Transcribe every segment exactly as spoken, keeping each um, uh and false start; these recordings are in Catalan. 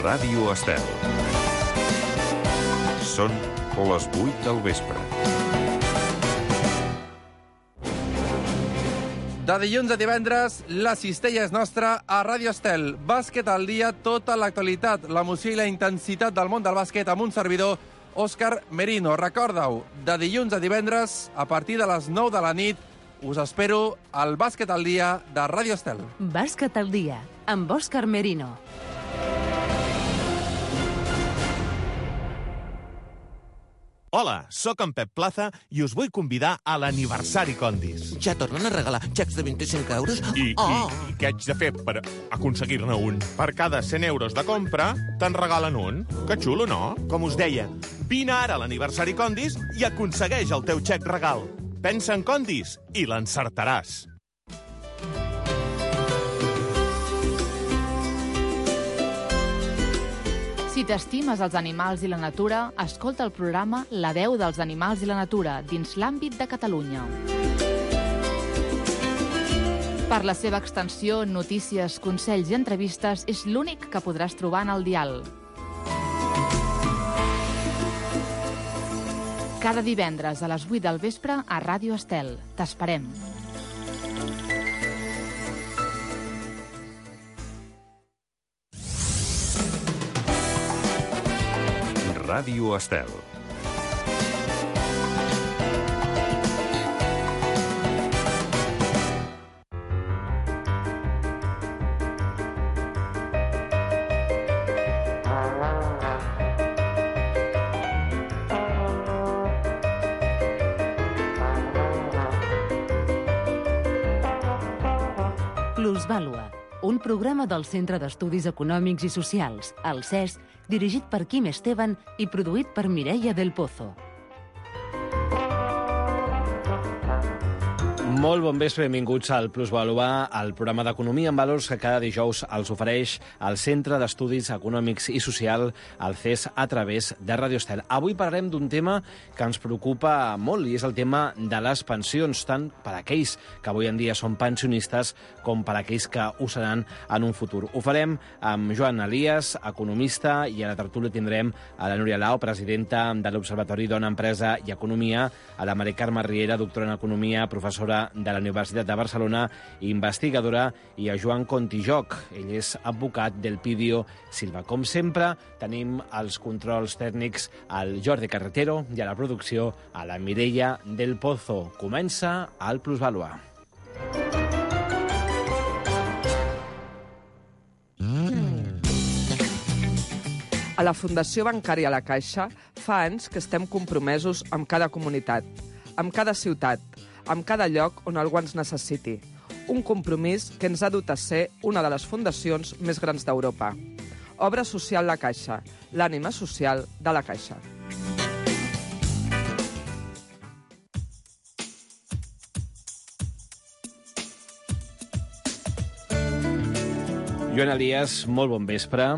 Ràdio Estel. Són les vuit del vespre. De dilluns a divendres, la cistella és nostra a Ràdio Estel. Bàsquet al dia, tota l'actualitat, l'emoció i la intensitat del món del bàsquet amb un servidor, Òscar Merino. Recorda-ho, de dilluns a divendres, a partir de les nou de la nit, us espero al Bàsquet al dia de Ràdio Estel. Bàsquet al dia, amb Òscar Merino. Hola, sóc en Pep Plaza i us vull convidar a l'aniversari Condis. Ja tornen a regalar xecs de vint-i-cinc euros? I, oh. i, i què haig de fer per aconseguir-ne un? Per cada cent euros de compra, te'n regalen un. Que xulo, no? Com us deia, vine ara a l'aniversari Condis i aconsegueix el teu xec regal. Pensa en Condis i l'encertaràs. Si t'estimes els animals i la natura, escolta el programa La veu dels animals i la natura dins l'àmbit de Catalunya. Per la seva extensió, notícies, consells i entrevistes, és l'únic que podràs trobar en el dial. Cada divendres a les vuit del vespre a Ràdio Estel. T'esperem. Ràdio Estel. Plusvàlua, un programa del Centre d'Estudis Econòmics i Socials, el C E S, dirigit per Quim Esteban i produït per Mireia del Pozo. Molt bon vespre, benvinguts al Plusvàlua, el programa d'economia en valors que cada dijous els ofereix el Centre d'Estudis Econòmics i Social, el C E S, a través de Ràdio Estel. Avui parlarem d'un tema que ens preocupa molt i és el tema de les pensions, tant per a aquells que avui en dia són pensionistes com per a aquells que ho seran en un futur. Ho farem amb Joan Elias, economista, i a la tertúlia tindrem a la Núria Lau, presidenta de l'Observatori Dona, Empresa i Economia, a la Mari Carme Riera, doctora en Economia, professora de la Universitat de Barcelona, investigadora, i a Joan Contijoc. Ell és advocat del Pidio Silva. Com sempre, tenim els controls tècnics al Jordi Carretero i a la producció a la Mireia del Pozo. Comença el Plusvàlua. A la Fundació Bancària La Caixa fa anys que estem compromesos amb cada comunitat, amb cada ciutat, amb cada lloc on algú ens necessiti. Un compromís que ens ha dut a ser una de les fundacions més grans d'Europa. Obra Social La Caixa, l'ànima social de la Caixa. Joan Elias, molt bon vespre.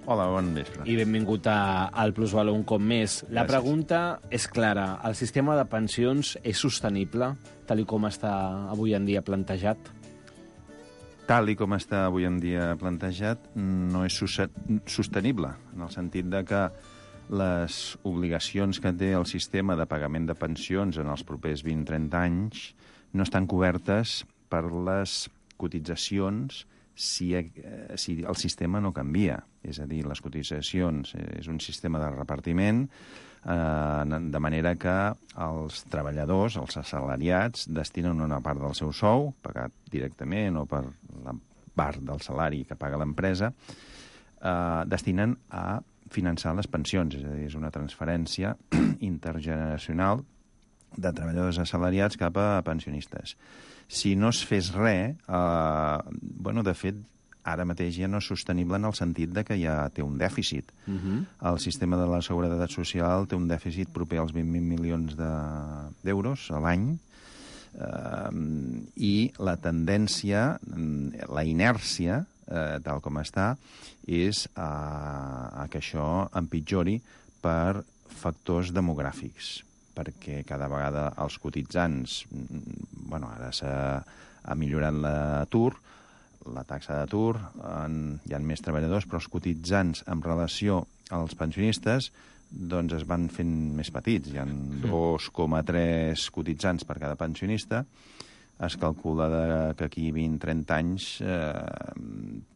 Hola, bon vespre. I benvingut a, al Plusvàlua un cop més. La Gràcies. pregunta és clara. El sistema de pensions és sostenible, tal i com està avui en dia plantejat? Tal i com està avui en dia plantejat, no és sostenible, en el sentit de que les obligacions que té el sistema de pagament de pensions en els propers vint a trenta anys no estan cobertes per les cotitzacions si, si el sistema no canvia. És a dir, les cotitzacions és un sistema de repartiment, eh, de manera que els treballadors, els assalariats, destinen una part del seu sou, pagat directament o per la part del salari que paga l'empresa, eh, destinen a finançar les pensions. És a dir, és una transferència intergeneracional de treballadors assalariats cap a pensionistes. Si no es fes res, eh, bueno, de fet, ara mateix ja no és sostenible en el sentit de que ja té un dèficit. Uh-huh. El sistema de la Seguretat Social té un dèficit proper als vint mil milions d'euros a l'any, eh, i la tendència, la inèrcia, eh, tal com està, és a, a que això empitjori per factors demogràfics, perquè cada vegada els cotitzants, bueno, ara s'ha millorat l'atur, la taxa d'atur, hi ha més treballadors, però els cotitzants en relació als pensionistes doncs es van fent més petits. Hi ha dos coma tres cotitzants per cada pensionista. Es calcula de, que aquí vint a trenta anys eh,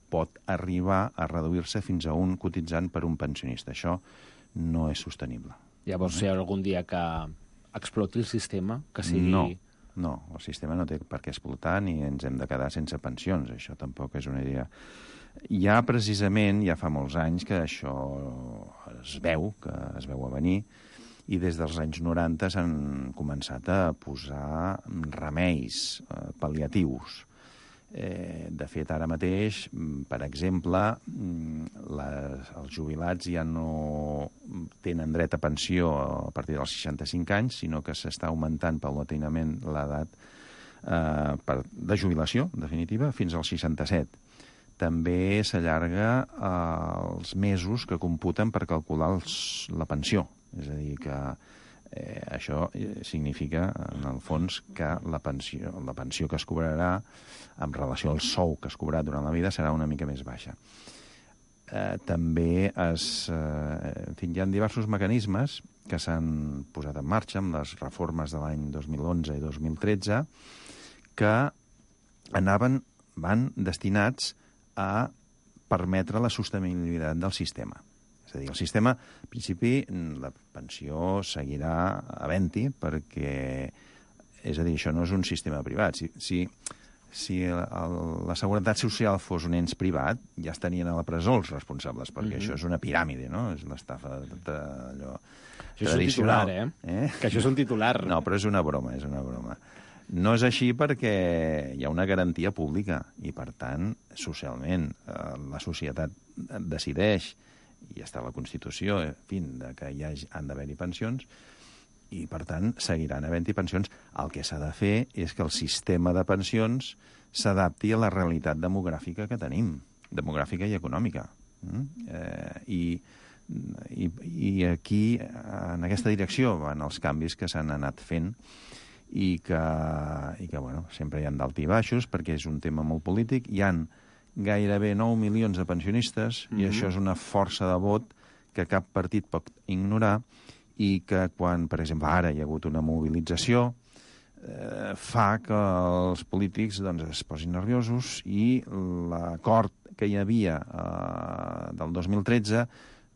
pot arribar a reduir-se fins a un cotitzant per un pensionista. Això no és sostenible. Llavors, si hi ha algun dia que exploti el sistema, que sigui... No, no, el sistema no té per què explotar ni ens hem de quedar sense pensions. Això tampoc és una idea. Ja precisament, ja fa molts anys que això es veu, que es veu a venir, i des dels anys noranta s'han començat a posar remeis eh, pal·liatius. Eh, de fet, ara mateix, per exemple, les, els jubilats ja no tenen dret a pensió a partir dels seixanta-cinc anys, sinó que s'està augmentant paulatinament l'edat eh, per, de jubilació, en definitiva, fins als seixanta-set. També s'allarga eh, els mesos que computen per calcular els, la pensió. És a dir, que eh, això significa, en el fons, que la pensió, la pensió que es cobrarà en relació al sou que es cobrarà durant la vida serà una mica més baixa. Eh, també es, eh, en fi, hi ha diversos mecanismes que s'han posat en marxa amb les reformes de l'any dos mil onze i dos mil tretze que anaven, van destinats a permetre la sostenibilitat del sistema. És a dir, el sistema, en principi, la pensió seguirà havent-hi perquè, és a dir, això no és un sistema privat. Si, si, si el, la Seguretat Social fos un ens privat, ja estarien a la presó els responsables, perquè mm-hmm. això és una piràmide, no? És l'estafa d'allò això és un titular, eh? eh? Que això és un titular. No, però és una broma, és una broma. No és així perquè hi ha una garantia pública i, per tant, socialment, eh, la societat decideix, i està a la Constitució, en fi, que hi ha, han d'haver-hi pensions, i, per tant, seguiran havent-hi pensions. El que s'ha de fer és que el sistema de pensions s'adapti a la realitat demogràfica que tenim, demogràfica i econòmica. Mm? Eh, i, i, I aquí, en aquesta direcció, van els canvis que s'han anat fent i que, i que bueno, sempre hi ha d'alt i baixos, perquè és un tema molt polític. Hi han gairebé nou milions de pensionistes, mm-hmm. i això és una força de vot que cap partit pot ignorar, i que quan, per exemple, ara hi ha hagut una mobilització, eh, fa que els polítics doncs, es posin nerviosos i l'acord que hi havia eh, del dos mil tretze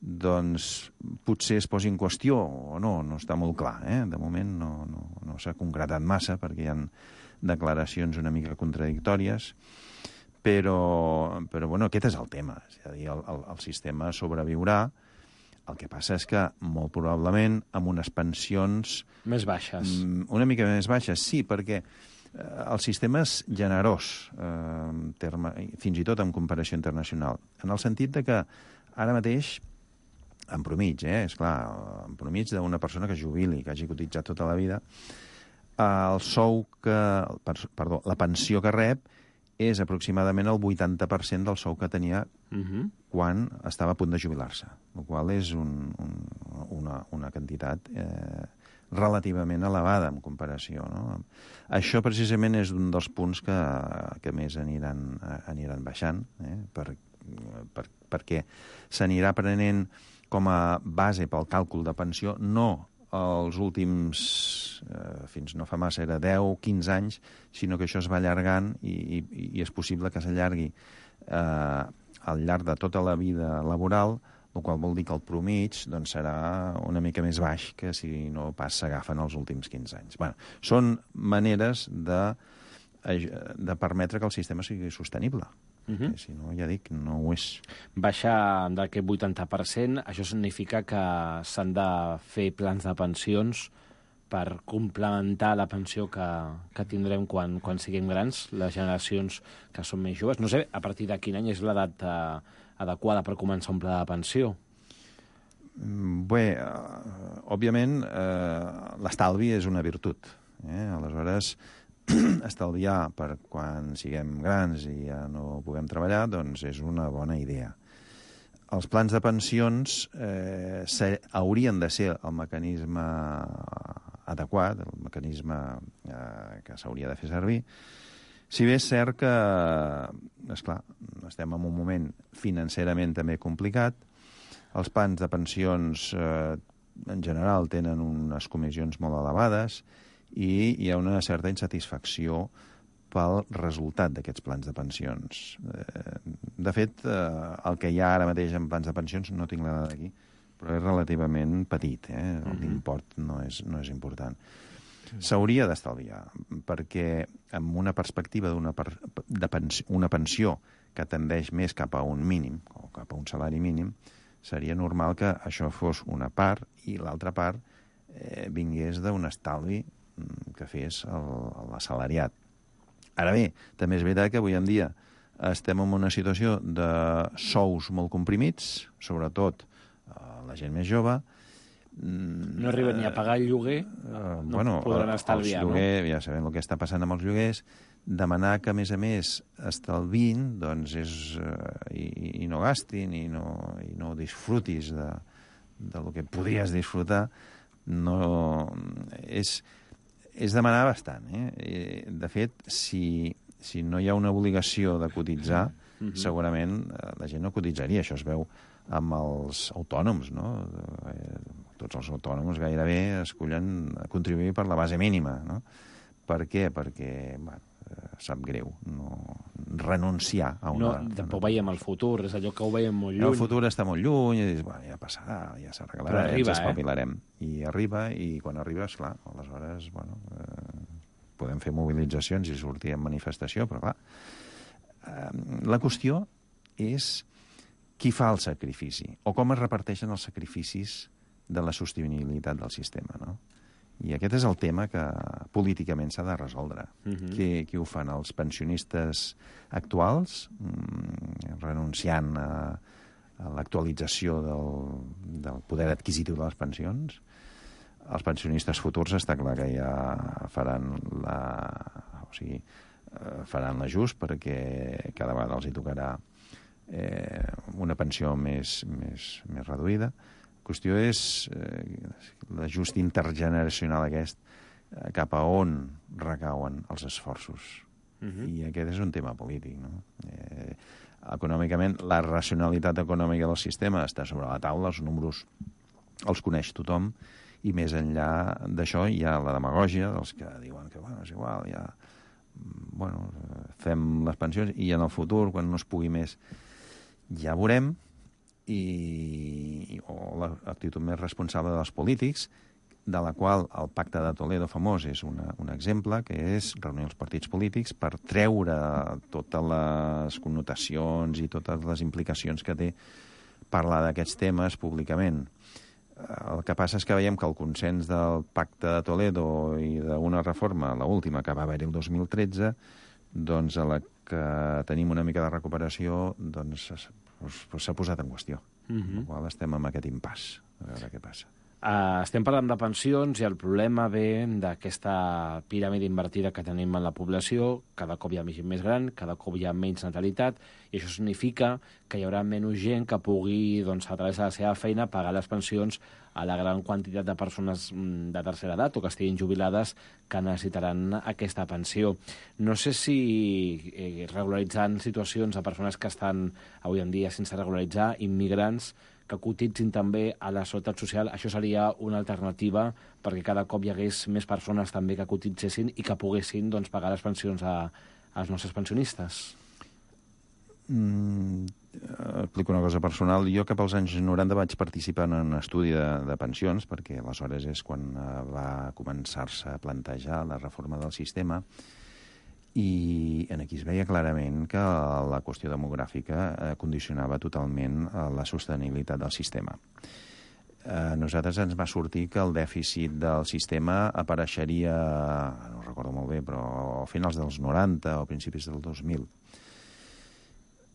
doncs potser es posi en qüestió o no, no està molt clar. Eh? De moment no, no, no s'ha concretat massa perquè hi ha declaracions una mica contradictòries, però, però bueno, aquest és el tema. És a dir, el, el, el sistema sobreviurà. El que passa és que, molt probablement, amb unes pensions... Més baixes. Una mica més baixes, sí, perquè eh, el sistema és generós, eh, terme, fins i tot en comparació internacional, en el sentit de que ara mateix, en promig, eh, esclar, en promig d'una persona que jubili, que hagi cotitzat tota la vida, el sou que... Perdó, la pensió que rep és aproximadament el vuitanta per cent del sou que tenia uh-huh. quan estava a punt de jubilar-se, el qual és un, un, una, una quantitat eh, relativament elevada en comparació. No? Això precisament és un dels punts que, que més aniran, aniran baixant, eh? per, per, perquè s'anirà prenent com a base pel càlcul de pensió no els últims, eh, fins no fa massa, era deu, quinze anys, sinó que això es va allargant i, i, i és possible que s'allargui eh, al llarg de tota la vida laboral, el qual vol dir que el promig doncs, serà una mica més baix que si no pas s'agafen els últims quinze anys. Bueno, són maneres de, de permetre que el sistema sigui sostenible. Uh-huh. Si no, ja dic, no ho és. Baixa d'aquest vuitanta per cent, això significa que s'han de fer plans de pensions per complementar la pensió que, que tindrem quan, quan siguem grans, les generacions que són més joves. No sé, a partir de quin any és l'edat eh, adequada per començar un pla de pensió? Bé, uh, òbviament, uh, l'estalvi és una virtut. Eh? Aleshores, estalviar per quan siguem grans i ja no puguem treballar, doncs és una bona idea. Els plans de pensions eh, haurien de ser el mecanisme adequat, el mecanisme eh, que s'hauria de fer servir, Si bé és cert que, esclar, estem en un moment financerament també complicat, els plans de pensions eh, en general tenen unes comissions molt elevades i hi ha una certa insatisfacció pel resultat d'aquests plans de pensions. Eh, de fet, eh, el que hi ha ara mateix en plans de pensions, no tinc la dada d'aquí, però és relativament petit, eh? L'import no és, no és important. S'hauria d'estalviar, perquè amb una perspectiva d'una per, de pens, una pensió que tendeix més cap a un mínim, o cap a un salari mínim, seria normal que això fos una part i l'altra part eh, vingués d'un estalvi que fes l'assalariat. Ara bé, també és veritat que avui en dia estem en una situació de sous molt comprimits, sobretot eh, la gent més jove. No arriben ni a pagar el lloguer, uh, no bueno, podran estalviar, lloguer, no? Ja sabem el que està passant amb els lloguers. Demanar que, a més a més, estalvin, doncs és... Uh, i, i no gastin, i no, i no disfrutis de, de lo que podries disfrutar, no... És, és demanar bastant, eh? De fet, si, si no hi ha una obligació de cotitzar, mm-hmm. segurament la gent no cotitzaria. Això es veu amb els autònoms, no? Tots els autònoms gairebé escollen contribuir per la base mínima, no? Per què? Perquè, bueno, sap greu no renunciar a una... No, tampoc veiem el futur, és allò que ho veiem molt lluny. El futur està molt lluny, i dius, bueno, ja passarà, ja s'arreglarà, ja ens espavilarem. Eh? I arriba, i quan arriba, esclar, aleshores, bueno, eh, podem fer mobilitzacions i sortir en manifestació, però clar, eh, la qüestió és qui fa el sacrifici, o com es reparteixen els sacrificis de la sostenibilitat del sistema, no? I aquest és el tema que políticament s'ha de resoldre. Uh-huh. Qui, qui ho fan? Els pensionistes actuals, mm, renunciant a, a l'actualització del, del poder adquisitiu de les pensions? Els pensionistes futurs està clar que ja faran la... O sigui, faran l'ajust perquè cada vegada els hi tocarà eh, una pensió més, més, més reduïda. La qüestió és eh, l'ajust intergeneracional aquest, eh, cap a on recauen els esforços. Uh-huh. I aquest és un tema polític, no? Eh, econòmicament, la racionalitat econòmica del sistema està sobre la taula, els números els coneix tothom, i més enllà d'això hi ha la demagògia dels que diuen que, bueno, és igual, ja, bueno, fem les pensions i en el futur, quan no es pugui més, ja veurem. I, o l'actitud més responsable dels polítics, de la qual el Pacte de Toledo famós és una, un exemple, que és reunir els partits polítics per treure totes les connotacions i totes les implicacions que té parlar d'aquests temes públicament. El que passa és que veiem que el consens del Pacte de Toledo i d'una reforma, la última, que va haver-hi el dos mil tretze, doncs a la que tenim una mica de recuperació, doncs s'ha posat en qüestió. Uh-huh. Amb la qual estem en aquest impàs, a veure què passa. Uh, estem parlant de pensions i el problema ve d'aquesta piràmide invertida que tenim en la població. Cada cop hi ha més gent més gran, cada cop hi ha menys natalitat, i això significa que hi haurà menys gent que pugui, doncs, a través de la seva feina, pagar les pensions a la gran quantitat de persones de tercera edat o que estiguin jubilades que necessitaran aquesta pensió. No sé si eh, regularitzant situacions de persones que estan avui en dia sense regularitzar, immigrants, que cotitzin també a la seguretat social, això seria una alternativa perquè cada cop hi hagués més persones també que cotitzessin i que poguessin, doncs, pagar les pensions a, als nostres pensionistes. Mm, explico una cosa personal. Jo cap als anys noranta vaig participar en un estudi de, de pensions, perquè aleshores és quan va començar-se a plantejar la reforma del sistema, i en aquí es veia clarament que la qüestió demogràfica condicionava totalment la sostenibilitat del sistema. A nosaltres ens va sortir que el dèficit del sistema apareixeria, no recordo molt bé, però a finals dels noranta o principis del dos mil.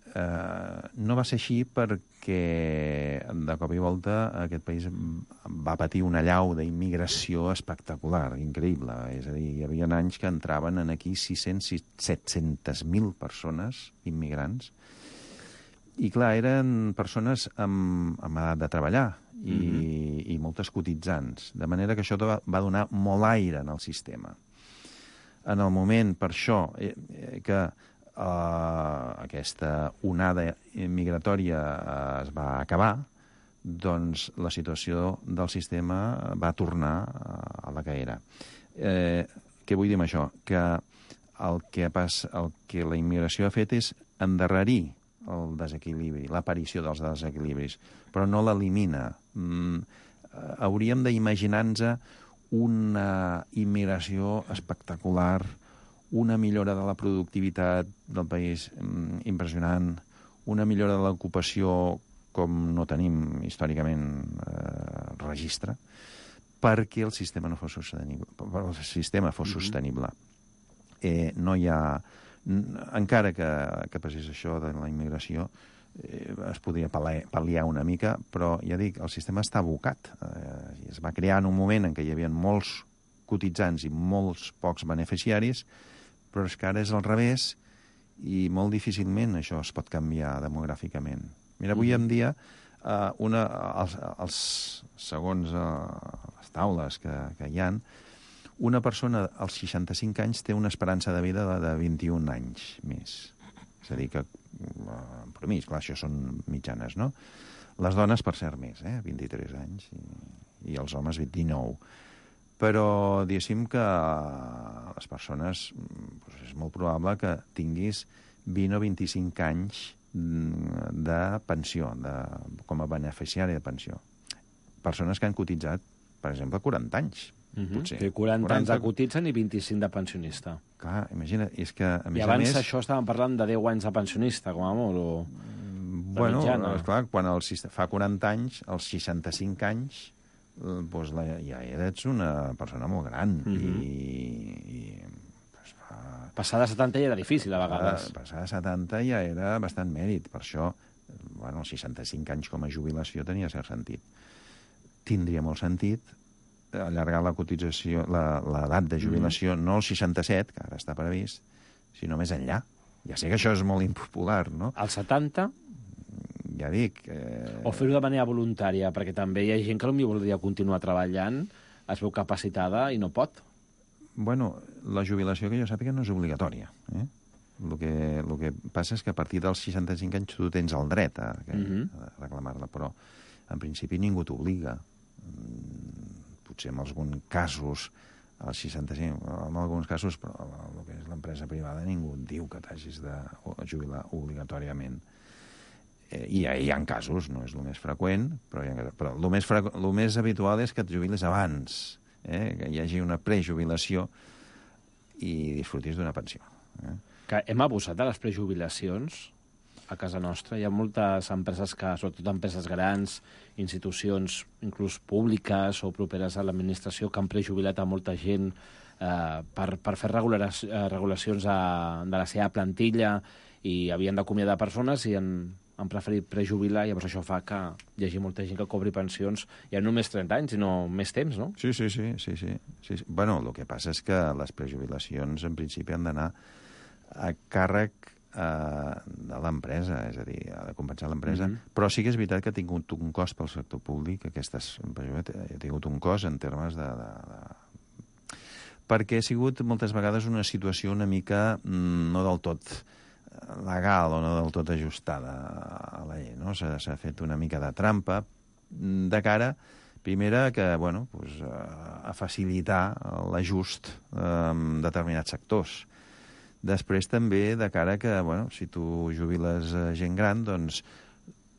Uh, no va ser així perquè de cop i volta aquest país va patir una allau d'immigració espectacular, increïble. És a dir, hi havia anys que entraven en aquí sis-cents a set-cents mil persones immigrants, i clar, eren persones amb, amb edat de treballar i, mm-hmm. i moltes cotitzants, de manera que això va, va donar molt aire en el sistema. En el moment, per això, eh, que eh, aquesta onada migratòria eh, es va acabar, doncs la situació del sistema va tornar a la que era. Eh, què vull dir amb això? Que el que, pas, el que la immigració ha fet és endarrerir el desequilibri, l'aparició dels desequilibris, però no l'elimina. Mm, hauríem d'imaginar-nos una immigració espectacular, una millora de la productivitat del país mm, impressionant, una millora de l'ocupació com no tenim històricament eh, registre, perquè el sistema no fos sostenible. El sistema fos mm-hmm. sostenible. Eh, no hi ha... Encara que, que passés això de la immigració, eh, es podria pal·liar una mica, però ja dic, el sistema està abocat. Eh, es va crear en un moment en què hi havia molts cotitzants i molts pocs beneficiaris, però és que ara és al revés i molt difícilment això es pot canviar demogràficament. Mira, avui en dia, eh, una, els, els, segons eh, les taules que, que hi ha, una persona als seixanta-cinc anys té una esperança de vida de, de vint-i-un anys més. És a dir, que, en promís, clar, això són mitjanes, no? Les dones, per cert, més, eh? vint-i-tres anys, i, i els homes vint-i-nou. Però, diguéssim que les persones, doncs és molt probable que tinguis vint o vint-i-cinc anys de pensió, de, com a beneficiari de pensió. Persones que han cotitzat, per exemple, quaranta anys. Mm-hmm. Potser. quaranta, quaranta anys de cotitzen i vint-i-cinc de pensionista. Clar, imagina, és que a més I abans a més... això estàvem parlant de deu anys de pensionista, com a molt, o... Bueno, esclar, quan el, fa quaranta anys, als seixanta-cinc anys, doncs la, ja ets una persona molt gran. Mm-hmm. I, i doncs, fa... Passar de setanta ja era difícil, a vegades. Passar de setanta ja era bastant mèrit. Per això, bueno, els seixanta-cinc anys com a jubilació tenia cert sentit. Tindria molt sentit allargar la cotització, l'edat de jubilació, mm. no al seixanta-set, que ara està previst, sinó més enllà. Ja sé que això és molt impopular, no? Al setanta? Ja dic... Eh... O fer-ho de manera voluntària, perquè també hi ha gent que potser voldria continuar treballant, es veu capacitada i no pot. Bueno, la jubilació, que jo sàpiga, no és obligatòria. Eh? El que, el que passa és que a partir dels seixanta-cinc anys tu tens el dret a, a, a reclamar-la, però en principi ningú t'obliga. Potser en alguns casos, als seixanta-cinc, en alguns casos, però el que és l'empresa privada, ningú et diu que t'hagis de jubilar obligatòriament. Eh, I hi ha casos, no és el més freqüent, però, hi ha, però el, més frequ... el més habitual és que et jubiles abans, eh? Que hi hagi una prejubilació i disfrutis d'una pensió. Eh? Que hem abusat de les prejubilacions a casa nostra. Hi ha moltes empreses que, sobretot empreses grans, institucions inclús públiques o properes a l'administració, que han prejubilat a molta gent eh, per, per fer regulacions a, de la seva plantilla i havien d'acomiadar persones i han, han preferit prejubilar, i llavors això fa que hi hagi molta gent que cobri pensions ja no només trenta anys, sinó més temps, no? Sí, sí, sí. sí, sí, sí. Bueno, el que passa és que les prejubilacions en principi han d'anar a càrrec de l'empresa, és a dir, ha de compensar l'empresa, mm-hmm. però sí que és veritat que ha tingut un cost pel sector públic, aquestes, ha tingut un cost en termes de, de, de... perquè ha sigut moltes vegades una situació una mica mm, no del tot legal o no del tot ajustada a la llei, no? S'ha fet una mica de trampa de cara, primera, que, bueno, pues, a facilitar l'ajust en determinats sectors. Després també de cara que, bueno, si tu jubiles gent gran, doncs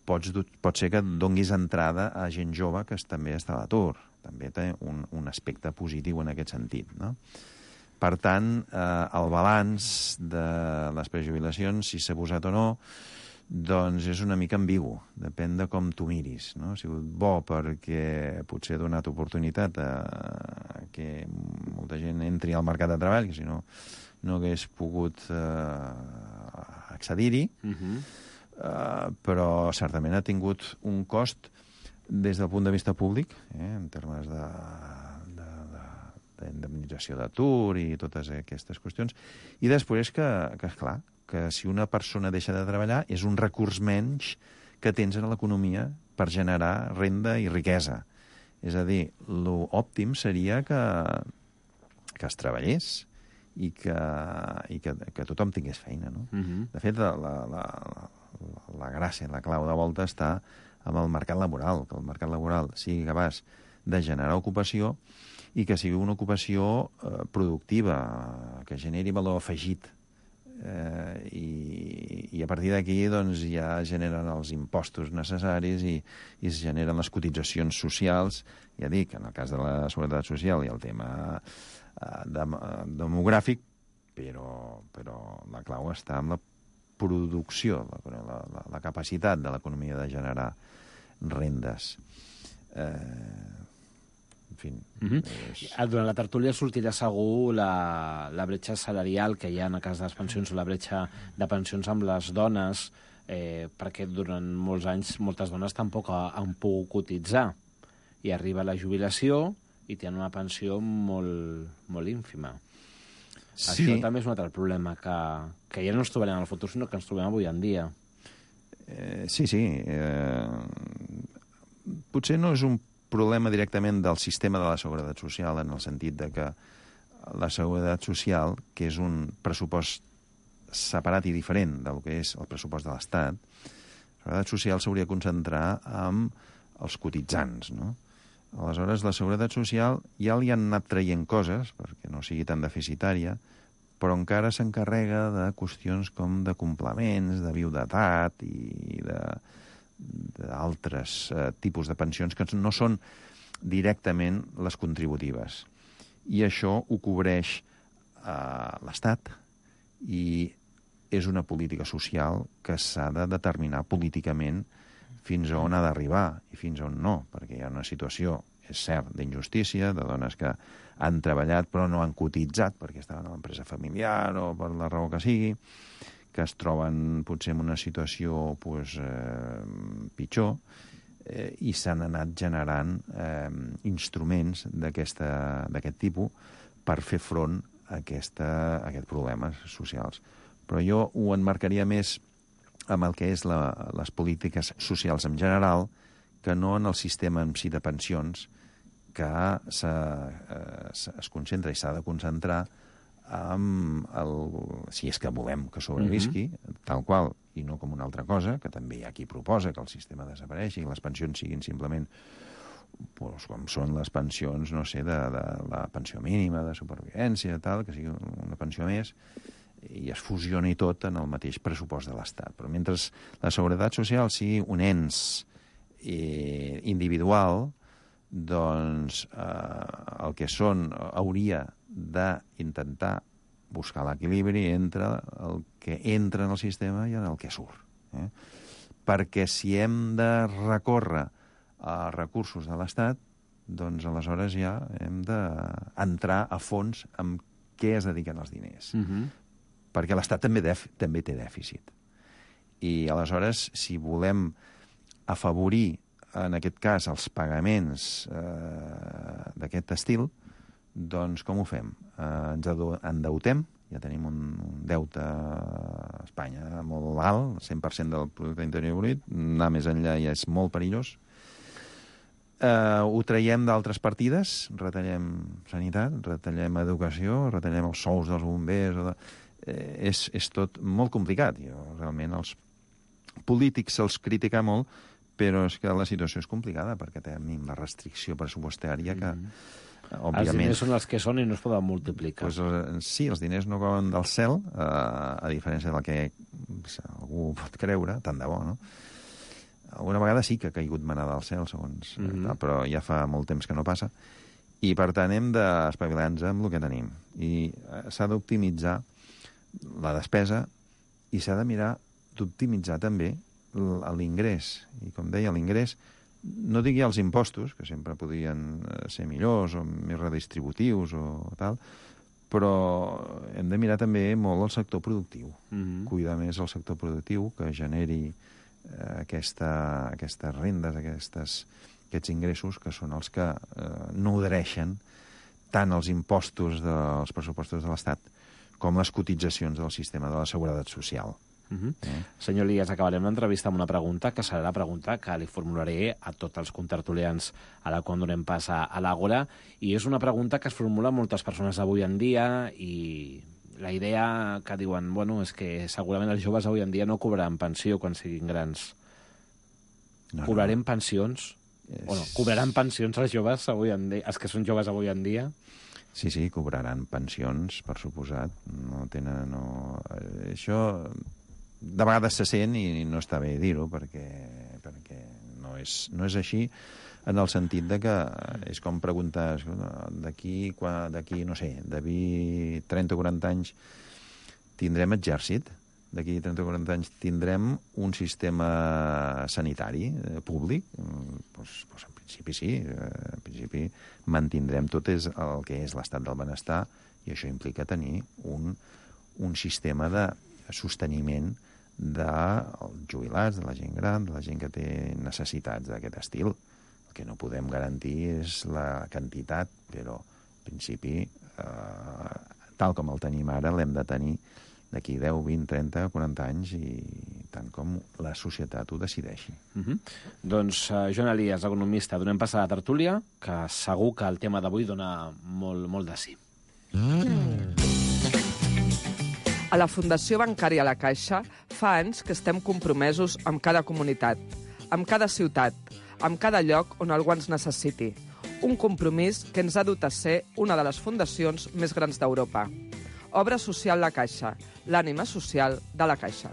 pots, pot ser que donguis entrada a gent jove que també està a l'atur. També té un, un aspecte positiu en aquest sentit, no? Per tant, eh, el balanç de les prejubilacions, si s'ha abusat o no, doncs és una mica ambigu. Depèn de com tu miris, no? Ha sigut bo perquè potser ha donat oportunitat a que molta gent entri al mercat de treball, que si no no hagués pogut eh, accedir-hi, uh-huh. eh, però certament ha tingut un cost des del punt de vista públic, eh, en termes de, de, de, d'indemnització d'atur i totes aquestes qüestions. I després que, que, esclar, que si una persona deixa de treballar és un recurs menys que tens en l'economia per generar renda i riquesa. És a dir, l'òptim seria que, que es treballés i que, i que, que tothom tingués feina, no? Uh-huh. De fet, la, la, la, la gràcia, la clau de volta està amb el mercat laboral, que el mercat laboral sigui capaç de generar ocupació i que sigui una ocupació eh, productiva, que generi valor afegit. Eh, i, I a partir d'aquí doncs, ja generen els impostos necessaris i, i es generen les cotitzacions socials. Ja dic, en el cas de la Seguretat Social i el tema eh, de, demogràfic, però, però la clau està en la producció, la, la, la capacitat de l'economia de generar rendes. Eh, en fi... Uh-huh. és... Durant la tertúlia sortirà segur la, la bretxa salarial que hi ha en el cas de les pensions, o la bretxa de pensions amb les dones, eh, perquè durant molts anys moltes dones tampoc han pogut cotitzar. I arriba la jubilació i tenen una pensió molt, molt ínfima. Sí. Això també és un altre problema, que, que ja no ens trobarem en el futur, sinó que ens trobem avui en dia. Eh, sí, sí. Eh, potser no és un problema directament del sistema de la Seguretat Social, en el sentit de que la Seguretat Social, que és un pressupost separat i diferent del que és el pressupost de l'Estat, la Seguretat Social s'hauria de concentrar en els cotitzants, no? Aleshores, la Seguretat Social ja li han anat traient coses, perquè no sigui tan deficitària, però encara s'encarrega de qüestions com de complements, de viudetat i de d'altres eh, tipus de pensions que no són directament les contributives. I això ho cobreix eh, l'Estat i és una política social que s'ha de determinar políticament fins a on ha d'arribar i fins a on no, perquè hi ha una situació, és cert, d'injustícia, de dones que han treballat però no han cotitzat perquè estaven a l'empresa familiar o per la raó que sigui, que es troben potser en una situació pues, eh, pitjor eh, i s'han anat generant eh, instruments d'aquest tipus per fer front a, aquesta, a aquests problemes socials. Però jo ho enmarcaria més amb el que és la, les polítiques socials en general que no en el sistema en si de pensions que se, eh, es concentra i s'ha de concentrar amb el, si és que volem que sobrevisqui, uh-huh. tal qual, i no com una altra cosa, que també hi ha qui proposa que el sistema desapareixi i les pensions siguin simplement pues, com són les pensions, no sé, de, de la pensió mínima, de supervivència, tal, que sigui una pensió més, i es fusioni tot en el mateix pressupost de l'Estat. Però mentre la Seguretat Social sigui un ens eh, individual, doncs eh, el que són hauria d'intentar buscar l'equilibri entre el que entra en el sistema i en el que surt. Eh? Perquè si hem de recórrer a recursos de l'Estat, doncs aleshores ja hem d'entrar a fons en què es dediquen els diners. Uh-huh. Perquè l'Estat també, def, també té dèficit. I aleshores, si volem afavorir en aquest cas, els pagaments eh, d'aquest estil, doncs com ho fem? Eh, ens endeutem, ja tenim un, un deute a Espanya molt alt, el cent per cent del producte interior brut, anar més enllà ja és molt perillós. Eh, ho traiem d'altres partides, retallem sanitat, retallem educació, retallem els sous dels bombers... O de... eh, és, és tot molt complicat. Jo, realment els polítics se'ls critica molt, però és que la situació és complicada perquè tenim la restricció pressupostària que, mm-hmm. òbviament... Els diners són els que són i no es poden multiplicar. Pues, sí, els diners no cauen del cel, eh, a diferència del que algú pot creure, tant de bo, no? Alguna vegada sí que ha caigut manà del cel, segons... Mm-hmm. tal, però ja fa molt temps que no passa. I, per tant, hem d'espavilar-nos amb el que tenim. I s'ha d'optimitzar la despesa i s'ha de mirar d'optimitzar també l'ingrés. I, com deia, l'ingrés, no digui els impostos, que sempre podrien ser millors o més redistributius o tal, però hem de mirar també molt el sector productiu. Mm-hmm. Cuidar més el sector productiu, que generi eh, aquesta, aquestes rendes, aquestes, aquests ingressos, que són els que eh, nodreixen tant els impostos dels pressupostos de l'Estat com les cotitzacions del sistema de la Seguretat Social. Uh-huh. Eh? Senyor Elias, acabarem l'entrevista amb una pregunta que serà la pregunta que li formularé a tots els contertulians a la quan donem pas a, a l'Àgora, i és una pregunta que es formula moltes persones avui en dia, i la idea que diuen, bueno, és que segurament els joves avui en dia no cobraran pensió quan siguin grans. No, cobrarem no. pensions? És... O no, cobraran pensions els joves avui en dia, els que són joves avui en dia? Sí, sí, cobraran pensions, per suposat. No tenen... No... Això de vegades se sent i no està bé dir-ho, perquè, perquè no, és, no és així, en el sentit de que és com preguntar d'aquí, d'aquí, no sé, d'aquí trenta o quaranta anys tindrem exèrcit? D'aquí trenta o quaranta anys tindrem un sistema sanitari eh, públic? Pues, pues en principi sí. Eh, en principi mantindrem tot és el que és l'estat del benestar, i això implica tenir un, un sistema de sosteniment dels jubilats, de la gent gran, de la gent que té necessitats d'aquest estil. El que no podem garantir és la quantitat, però en principi, eh, tal com el tenim ara, l'hem de tenir d'aquí deu, vint, trenta, quaranta anys, i tant com la societat ho decideixi. Uh-huh. Doncs, uh, Joan Elias, economista, donem pas a la tertúlia, que segur que el tema d'avui dona molt, molt de sí. Mm. A la Fundació Bancària La Caixa fa anys que estem compromesos amb cada comunitat, amb cada ciutat, amb cada lloc on algú ens necessiti. Un compromís que ens ha dut a ser una de les fundacions més grans d'Europa. Obra social La Caixa, l'ànima social de la Caixa.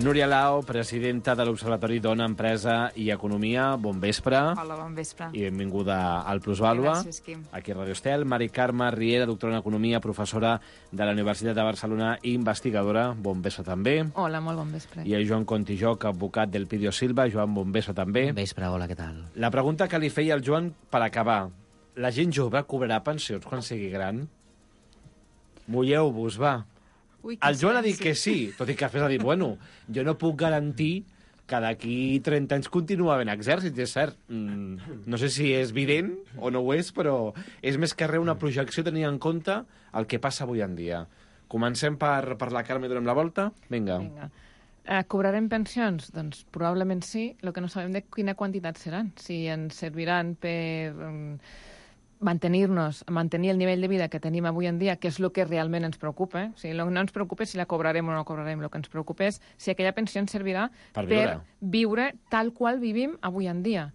Núria Lao, presidenta de l'Observatori Dona, Empresa i Economia, bon vespre. Hola, bon vespre. I benvinguda al Plusvàlua. Gràcies, Quim. Aquí a Radio Estel. Mari Carme Riera, doctora en Economia, professora de la Universitat de Barcelona i investigadora. Bon vespre també. Hola, molt bon vespre. I a Joan Contijoc, advocat del Pidio Silva. Joan, bon vespre també. Bon vespre, hola, què tal? La pregunta que li feia el Joan per acabar. La gent jove cobrarà pensions quan sigui gran? Mulleu-vos, va. Ui, el Joan ha dit sí. que sí, tot i que després ha dit, bueno, jo no puc garantir que d'aquí trenta anys continua havent exèrcit, és cert. Mm, no sé si és evident o no ho és, però és més que res una projecció tenint en compte el que passa avui en dia. Comencem per, per la Carme i donem la volta? Vinga. Vinga. Eh, cobrarem pensions? Doncs probablement sí, el que no sabem de quina quantitat seran. Si ens serviran per... Um, mantenir-nos, mantenir el nivell de vida que tenim avui en dia, que és el que realment ens preocupa. Eh? O sigui, no ens preocupa si la cobrarem o no cobrarem, el que ens preocupa és si aquella pensió ens servirà per viure, per viure tal qual vivim avui en dia,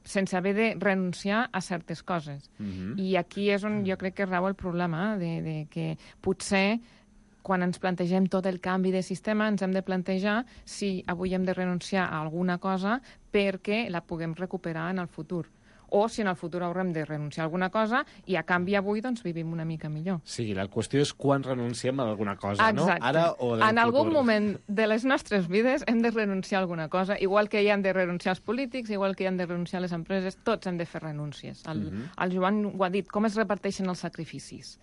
sense haver de renunciar a certes coses. Uh-huh. I aquí és on jo crec que rau el problema, eh? de, de que potser quan ens plantegem tot el canvi de sistema ens hem de plantejar si avui hem de renunciar a alguna cosa perquè la puguem recuperar en el futur. O si en el futur haurem de renunciar a alguna cosa i a canvi avui doncs vivim una mica millor. Sí, la qüestió és quan renunciem a alguna cosa, exacte. No? Ara o en En futur. algun moment de les nostres vides hem de renunciar a alguna cosa, igual que hi hem de renunciar als polítics, igual que hi hem de renunciar a les empreses, tots hem de fer renúncies. El, uh-huh. el Joan ho ha dit, com es reparteixen els sacrificis?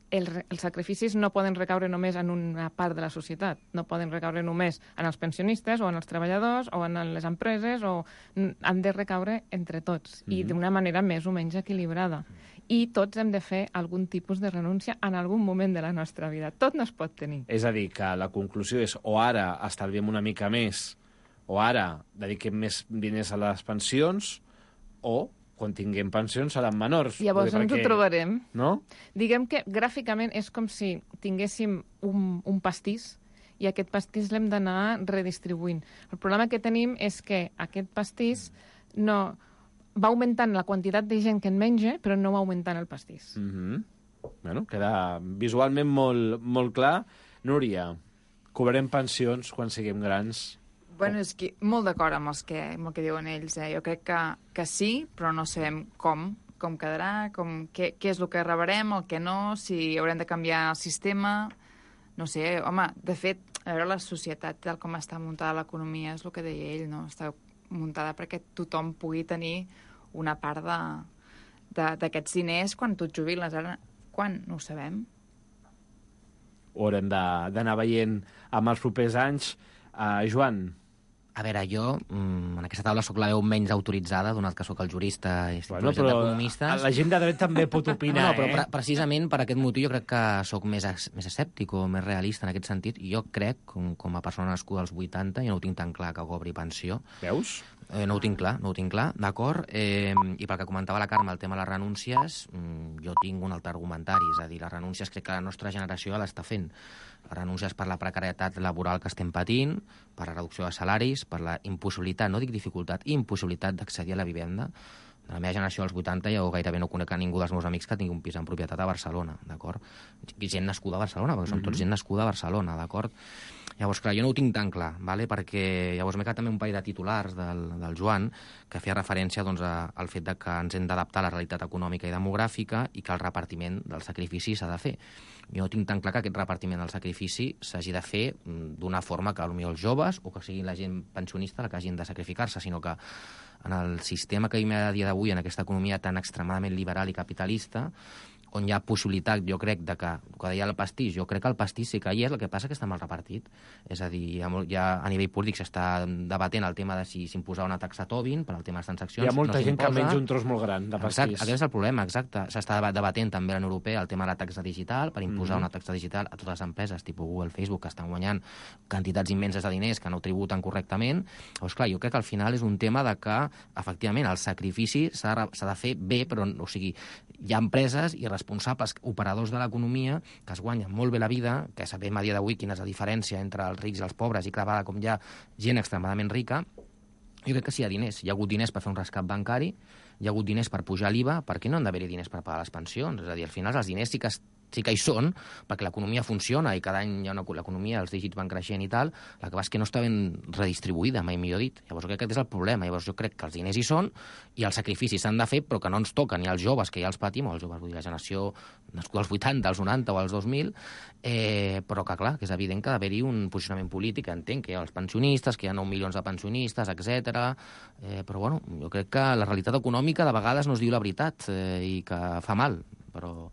El, els sacrificis no poden recaure només en una part de la societat, no poden recaure només en els pensionistes o en els treballadors o en les empreses, o han de recaure entre tots, mm-hmm. i d'una manera més o menys equilibrada. I tots hem de fer algun tipus de renúncia en algun moment de la nostra vida. Tot no es pot tenir. És a dir, que la conclusió és o ara estalviem una mica més, o ara dediquem més diners a les pensions, o quan tinguem pensions seran menors. Llavors ens perquè... ho trobarem. No? Diguem que gràficament és com si tinguéssim un, un pastís i aquest pastís l'hem d'anar redistribuint. El problema que tenim és que aquest pastís no va augmentant la quantitat de gent que en menja, però no va augmentant el pastís. Mm-hmm. Bueno, queda visualment molt, molt clar. Núria, cobrarem pensions quan siguem grans? Bueno, és que molt d'acord amb, els que, amb el que diuen ells. Eh? Jo crec que, que sí, però no sabem com, com quedarà, com, què, què és el que rebrem, el que no, si haurem de canviar el sistema. No sé, home, de fet, a veure, la societat, tal com està muntada l'economia, és el que deia ell, no? Està muntada perquè tothom pugui tenir una part d'aquests diners quan tu et jubiles. Ara, quan? No ho sabem. Ho haurem d'anar veient amb els propers anys. Uh, Joan, A veure, jo mm, en aquesta taula sóc la veu menys autoritzada, donat que sóc el jurista i Bueno, bueno, però d'economistes. la gent de dret també pot opinar, no, no, però eh? pre precisament per aquest motiu jo crec que sóc més, més escèptic o més realista en aquest sentit. I jo crec, com, com a persona nascuda als vuitanta, jo no ho tinc tan clar que cobri pensió. Veus? Eh, no ho tinc clar, no ho tinc clar, d'acord? Eh, I pel que comentava la Carme, el tema de les renúncies, mm, jo tinc un altre argumentari, és a dir, les renúncies crec que la nostra generació l'està fent. Renúncies per la precarietat laboral que estem patint, per la reducció de salaris, per la impossibilitat, no dic dificultat, impossibilitat d'accedir a la vivenda. De la meva generació dels vuitanta jo gairebé no conec a ningú dels meus amics que tingui un pis en propietat a Barcelona, d'acord? Gent nascuda a Barcelona, perquè són tots gent nascuda a Barcelona, d'acord? Llavors, clar, jo no ho tinc tan clar, ¿vale? Perquè llavors m'he quedat també un parell de titulars del, del Joan que feia referència doncs, a, al fet de que ens hem d'adaptar a la realitat econòmica i demogràfica i que el repartiment del sacrifici s'ha de fer. Jo no tinc tan clar que aquest repartiment del sacrifici s'hagi de fer d'una forma que potser els joves o que sigui la gent pensionista la que hagin de sacrificar-se, sinó que en el sistema que vivim a dia d'avui, en aquesta economia tan extremadament liberal i capitalista, on hi ha possibilitat, jo crec, de que, que deia el pastís, jo crec que el pastís sí que hi és, el que passa que està mal repartit. És a dir, hi ha, ja a nivell polític s'està debatent el tema de si s'imposar una taxa Tobin per al tema de les transaccions. Hi ha molta no gent que menja un tros molt gran de pastís. Exacte, aquest és el problema, exacte. S'està debatent també a la Unió Europea el tema de la taxa digital, per imposar mm-hmm. una taxa digital a totes les empreses, tipus Google, Facebook, que estan guanyant quantitats immenses de diners que no tributen correctament. Llavors, clar, jo crec que al final és un tema de que, efectivament, el sacrifici s'ha de fer bé, però, o sigui, hi ha empreses i responsables, operadors de l'economia, que es guanyen molt bé la vida, que sabem a dia d'avui quina és la diferència entre els rics i els pobres, i clavada com hi ha gent extremadament rica. Jo crec que sí, hi ha diners. Hi ha hagut diners per fer un rescat bancari, hi ha hagut diners per pujar l'I V A, per què no han d'haver-hi diners per pagar les pensions? És a dir, al final els diners sí que sí que hi són, perquè l'economia funciona i cada any hi ha una, l'economia, els dígits van creixent i tal, la que va és que no està ben redistribuïda, mai millor dit. Llavors jo crec que aquest és el problema. Llavors jo crec que els diners hi són i els sacrificis s'han de fer, però que no ens toquen ni als joves, que ja els patim, o els joves, vull dir, la generació nascuda als vuitanta, als noranta o als dos mil, eh, però que clar, que és evident que ha d'haver-hi un posicionament polític, entenc que hi ha els pensionistes, que hi ha nou milions de pensionistes, etcètera. Eh, però bueno, jo crec que la realitat econòmica de vegades no es diu la veritat eh, i que fa mal, però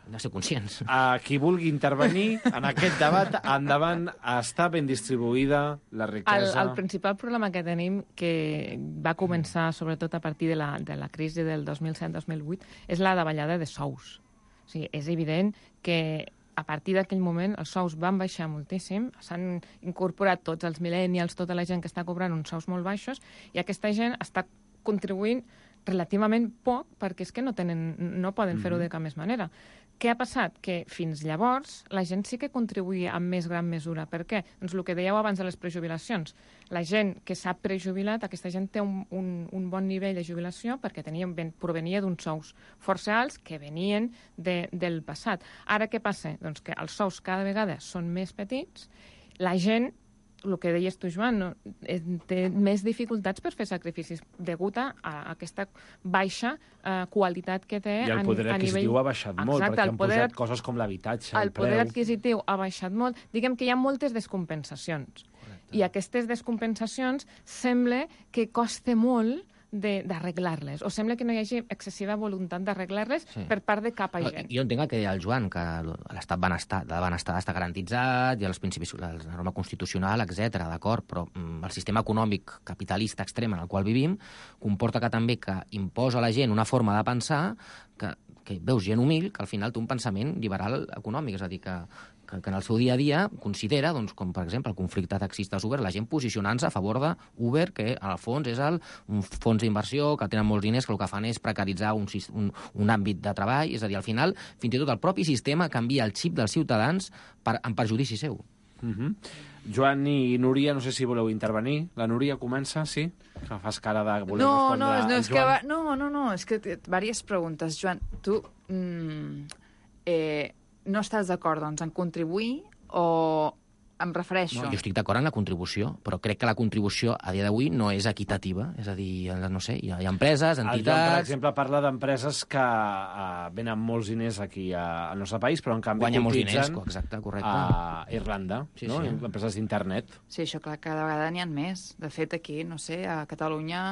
hem de ser conscients. A qui vulgui intervenir en aquest debat, endavant, està ben distribuïda la riquesa. El, el principal problema que tenim, que va començar sobretot a partir de la, de la crisi del dos mil set dos mil vuit, és la davallada de sous. O sigui, és evident que a partir d'aquell moment els sous van baixar moltíssim, s'han incorporat tots els millennials, tota la gent que està cobrant uns sous molt baixos, i aquesta gent està contribuint relativament poc perquè és que no, tenen, no poden fer-ho de cap més manera. Què ha passat? Que fins llavors la gent sí que contribuïa en més gran mesura. Per què? Doncs el que dèieu abans de les prejubilacions. La gent que s'ha prejubilat, aquesta gent té un, un, un bon nivell de jubilació perquè tenia, provenia d'uns sous força alts que venien de, del passat. Ara què passa? Doncs que els sous cada vegada són més petits, la gent, el que deies tu, Joan, no, té més dificultats per fer sacrificis degut a, a aquesta baixa eh, qualitat que té. I el poder a, a adquisitiu nivell... ha baixat molt, Exacte, perquè han poder... posat coses com l'habitatge, el, el poder preu... adquisitiu ha baixat molt. Diguem que hi ha moltes descompensacions. Correcte. I aquestes descompensacions sembla que costa molt d'arreglar-les, o sembla que no hi hagi excessiva voluntat d'arreglar-les sí. per part de cap agent. Jo entenc el que deia el Joan, que l'estat benestar, de benestar està garantitzat, hi ha els principis, la norma constitucional, etcètera, d'acord, però mm, el sistema econòmic capitalista extrem en el qual vivim comporta que també que imposa a la gent una forma de pensar que, que veus gent humil, que al final té un pensament liberal econòmic, és a dir, que que, que en el seu dia a dia considera, doncs, com per exemple el conflicte taxistes-Uber, la gent posicionant-se a favor d'Uber, que en el fons és el, un fons d'inversió que tenen molts diners, que el que fan és precaritzar un, un, un àmbit de treball, és a dir, al final, fins i tot el propi sistema canvia el xip dels ciutadans per, en perjudici seu. Mm-hmm. Joan i Núria, no sé si voleu intervenir. La Núria comença, sí? Que fas cara de voler no, respondre no, no, és Joan. que va, no, no, no, és que diverses preguntes. Joan, tu mm, eh, no estàs d'acord, doncs, en contribuir o em refereixo? No, jo estic d'acord en la contribució, però crec que la contribució a dia d'avui no és equitativa. És a dir, no sé, hi ha, hi ha empreses, entitats... El Joan, per exemple, parla d'empreses que uh, venen molts diners aquí a, al nostre país, però en canvi guanyen molts cotitzen diners, exacte, correcte. a Irlanda, sí, no? Sí. Empreses d'internet. Sí, això clar, cada vegada n'hi ha més. De fet, aquí, no sé, a Catalunya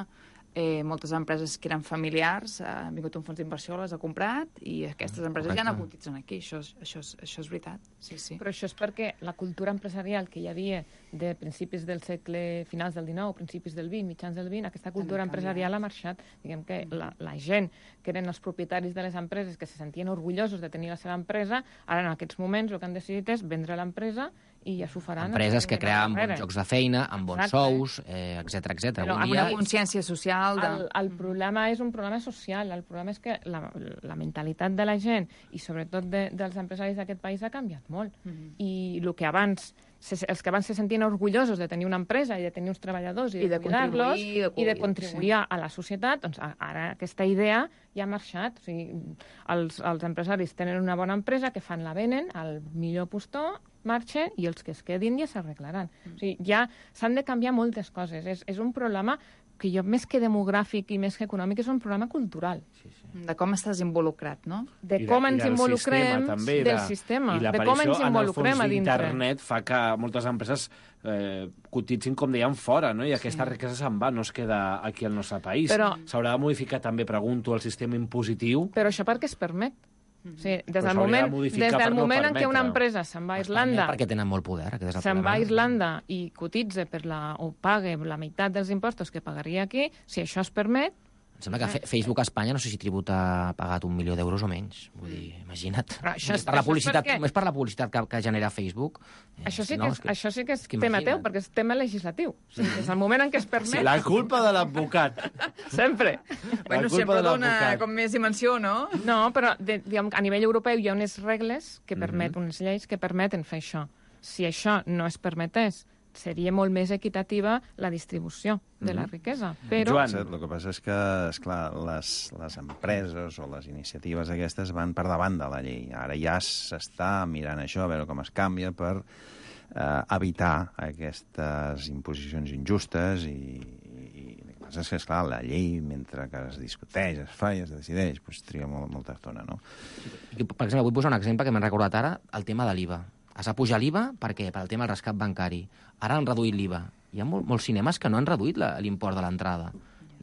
eh, moltes empreses que eren familiars, eh, ha vingut un fons d'inversió, les ha comprat, i aquestes empreses Correcte. ja no cotitzen aquí. Això és, això, és, això és veritat. Sí, sí. Però això és perquè la cultura empresarial que hi havia de principis del segle, finals del dinou, principis del vint, mitjans del vint, aquesta cultura empresarial ha marxat. Diguem que la, la gent que eren els propietaris de les empreses, que se sentien orgullosos de tenir la seva empresa, ara en aquests moments el que han decidit és vendre l'empresa i ja s'ho faran. Empreses que creaven bons llocs de feina, amb bons Exacte. sous, eh, etcètera, etcètera. Però amb una consciència social. De... El, el problema és un problema social. El problema és que la, la mentalitat de la gent i sobretot de, dels empresaris d'aquest país ha canviat molt. Mm-hmm. I el que abans Se, els que abans se sentien orgullosos de tenir una empresa i de tenir uns treballadors i, I de, de cuidar-los i, i de contribuir sí. a la societat, doncs ara aquesta idea ja ha marxat. O sigui, els, els empresaris tenen una bona empresa, que fan la venen al millor postor, marxen i els que es quedin ja s'arreglaran. Mm. O sigui, ja s'han de canviar moltes coses. És, és un problema que jo, més que demogràfic i més que econòmic, és un problema cultural. Sí, sí. De com estàs involucrat, no? De com ens involucrem també, del sistema, de com ens involucrem a dintre. Internet fa que moltes empreses eh, cotitzin, com dèiem, fora, no? I aquesta sí. riquesa se'n va, no es queda aquí al nostre país. Però... S'haurà de modificar també, pregunto, el sistema impositiu. Però això perquè es permet. Sí, des del moment, de des del moment no en què una empresa se'n va a Irlanda... Perquè tenen molt poder. Se'n va a Irlanda i cotitza per la, o paga la meitat dels impostos que pagaria aquí, si això es permet... Em sembla que Facebook a Espanya no sé si tributa ha pagat un milió d'euros o menys. Vull dir, imagina't. Això és, per la publicitat, és, és per la publicitat que, que genera Facebook. Això sí que és, no, és, que, això sí que és que tema teu, perquè és tema legislatiu. O sigui, des del moment en què es permet... Sí, la culpa de l'advocat. Sempre. Bueno, sempre dona com més dimensió, no? No, però de, diguem, a nivell europeu hi ha unes regles que permeten, mm-hmm. unes lleis que permeten fer això. Si això no es permetés, seria molt més equitativa la distribució de la riquesa. Però... Joan, el que passa és que, esclar, les, les empreses o les iniciatives aquestes van per davant de la llei. Ara ja s'està mirant això, a veure com es canvia per eh, evitar aquestes imposicions injustes i, i el que passa és que, esclar, la llei, mentre que es discuteix, es fa i es decideix, doncs triga molt, molta estona, no? Per exemple, vull posar un exemple que m'he recordat ara, el tema de l'I V A. Es va pujar l'I V A per què? Per al tema del rescat bancari. Ara han reduït l'I V A. Hi ha molt, molts cinemes que no han reduït l'import de l'entrada.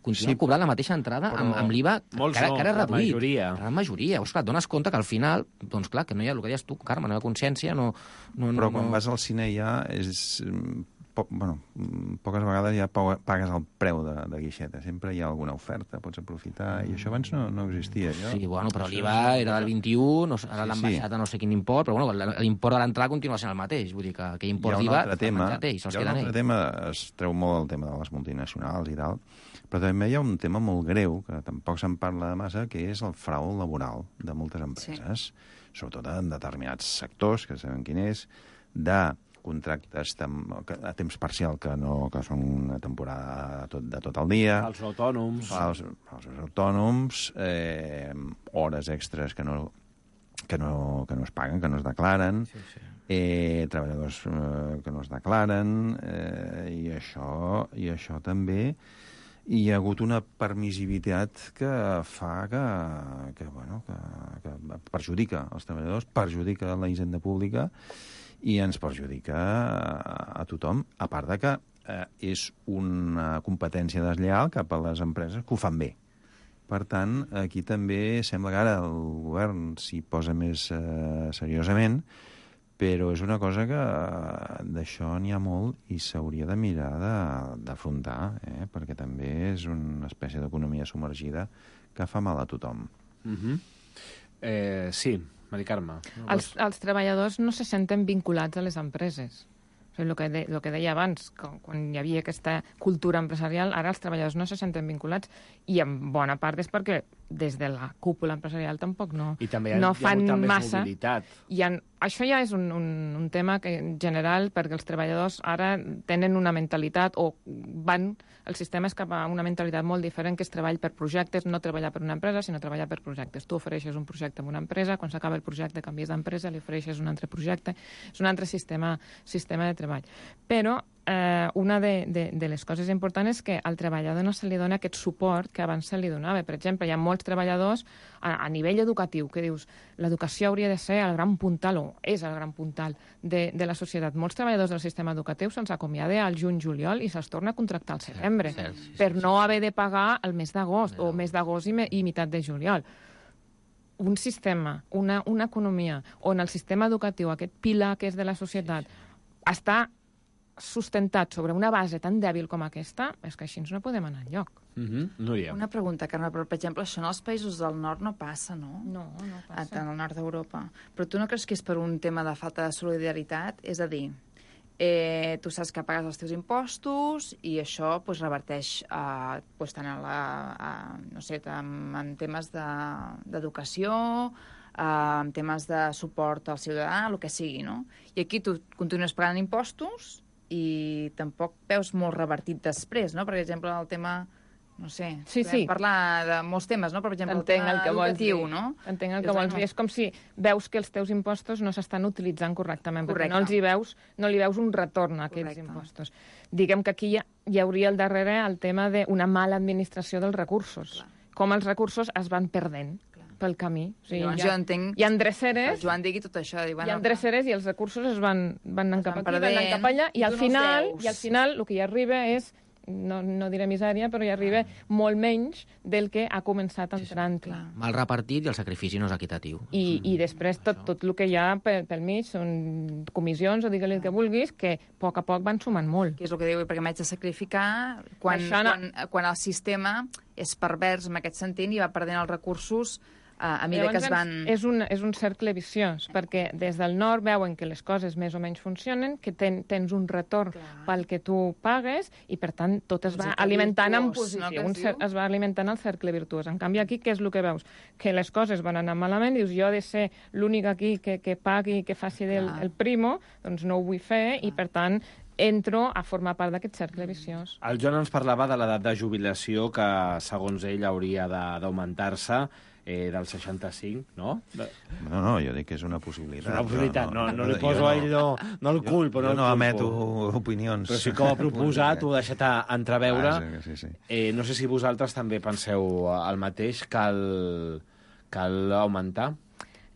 Continuen sí, cobrant la mateixa entrada amb, amb l'I V A que ara, que ara és reduït. La majoria. La majoria. Pues, clar, et dones compte que al final, doncs clar, que no hi ha el que deies tu, Carme, no hi ha consciència, no... no Però no, quan no... vas al cine ja és... Po, bueno, poques vegades ja pagues el preu de, de guixeta. Sempre hi ha alguna oferta, pots aprofitar, i això abans no, no existia. Jo. Sí, bueno, però l'I V A era del vint-i-u, no, ara l'han sí, baixat a no sé quin import, però bueno, l'import de l'entrada continua sent el mateix. Vull dir que aquell import d'I V A hi ha un altre tema, es treu molt el tema de les multinacionals i tal, però també hi ha un tema molt greu, que tampoc se'n parla massa, que és el frau laboral de moltes empreses, sí. sobretot en determinats sectors, que sabem quin és, de contractes a temps parcial que, no, que són una temporada tot, de tot el dia. Els autònoms. Els, els autònoms, eh, hores extres que no, que, no, que no es paguen, que no es declaren, sí, sí. Eh, treballadors eh, que no es declaren, eh, i, això, i això també hi ha hagut una permissivitat que fa que, que, bueno, que, que perjudica els treballadors, perjudica la hisenda pública, i ens perjudica a tothom, a part de que eh, és una competència deslleial cap a les empreses que ho fan bé. Per tant, aquí també sembla que ara el govern s'hi posa més eh, seriosament, però és una cosa que eh, d'això n'hi ha molt i s'hauria de mirar d'afrontar, eh, perquè també és una espècie d'economia submergida que fa mal a tothom. Mm-hmm. eh, sí, Mari Carme. Els, els treballadors no se senten vinculats a les empreses. O sigui, el que, de, el que deia abans, quan, quan hi havia aquesta cultura empresarial, ara els treballadors no se senten vinculats, i en bona part és perquè des de la cúpula empresarial tampoc no, I també hi ha, no fan hi ha molta massa. Més mobilitat. I en, això ja és un, un, un tema que, en general, perquè els treballadors ara tenen una mentalitat, o van, el sistema és cap a una mentalitat molt diferent, que és treball per projectes, no treballar per una empresa, sinó treballar per projectes. Tu ofereixes un projecte amb una empresa, quan s'acaba el projecte canvies d'empresa, li ofereixes un altre projecte, és un altre sistema, sistema de treball. Però eh, una de, de, de les coses importants és que al treballador no se li dona aquest suport que abans se li donava. Per exemple, hi ha molts treballadors a, a nivell educatiu que dius l'educació hauria de ser el gran puntal, o és el gran puntal de, de la societat. Molts treballadors del sistema educatiu se'ls acomiada al juny-juliol i se'ls torna a contractar al setembre, sí, sí, sí, per no haver de pagar el mes d'agost o mes d'agost i, me, i meitat de juliol. Un sistema, una, una economia on el sistema educatiu, aquest pilar que és de la societat, està sustentat sobre una base tan dèbil com aquesta, és que així no podem anar enlloc. Mm-hmm. No hi ha. Una pregunta, Carme, però, per exemple, això en els països del nord no passa, no? No, no passa. En el nord d'Europa. Però tu no creus que és per un tema de falta de solidaritat? És a dir, eh, tu saps que pagues els teus impostos i això pues, reverteix eh, pues, tant en, la, a, no sé, en, en temes d'educació, de, eh, en temes de suport al ciutadà, el que sigui, no? I aquí tu continues pagant impostos i tampoc veus molt revertit després, no? Per exemple, el tema, no sé, sí, podem sí. parlar de molts temes, no? Per exemple, Entenc el tema el que educatiu, vols dir. no? Entenc el que vols dir. És com si veus que els teus impostos no s'estan utilitzant correctament, Correcte. perquè no els hi veus, no li veus un retorn a aquests Correcte. impostos. Diguem que aquí hi, ha, hi hauria al darrere el tema d'una mala administració dels recursos. Clar. Com els recursos es van perdent pel camí. O sigui, Llavors, hi ha, jo entenc hi ha dreceres, que el Joan digui tot això. Dir, bueno, hi ha dreceres i els recursos es van, van anar cap aquí, van anar cap allà, i, i al final, i al final el que hi arriba és, no, no diré misèria, però hi arriba molt menys del que ha començat entrant. Sí, sí. Mal repartit i el sacrifici no és equitatiu. I, i després tot, tot el que hi ha pel, pel mig són comissions, o digue-li el que vulguis, que a poc a poc van sumant molt. Que és el que diu, perquè m'haig de sacrificar quan, no... quan, quan el sistema és pervers en aquest sentit i va perdent els recursos a mesura que es van... És un, és un cercle viciós, perquè des del nord veuen que les coses més o menys funcionen, que ten, tens un retorn Clar. pel que tu pagues, i per tant tot es va alimentant en posició, no, un cer es va alimentant el cercle virtuós. En canvi aquí què és el que veus? Que les coses van anar malament, dius jo he de ser l'únic aquí que, que pagui, que faci del, el primo, doncs no ho vull fer, Clar. i per tant entro a formar part d'aquest cercle viciós. El Joan ens parlava de l'edat de jubilació que, segons ell, hauria d'augmentar-se eh, del seixanta-cinc, no? No, no, jo dic que és una possibilitat. És una possibilitat, no, no, no, no li poso a ell, no, no el culpo. Jo, jo no, no emeto opinions. Però sí que ho ha proposat, ho ha deixat a entreveure. Ah, sí, sí. Eh, no sé si vosaltres també penseu el mateix, cal, cal augmentar.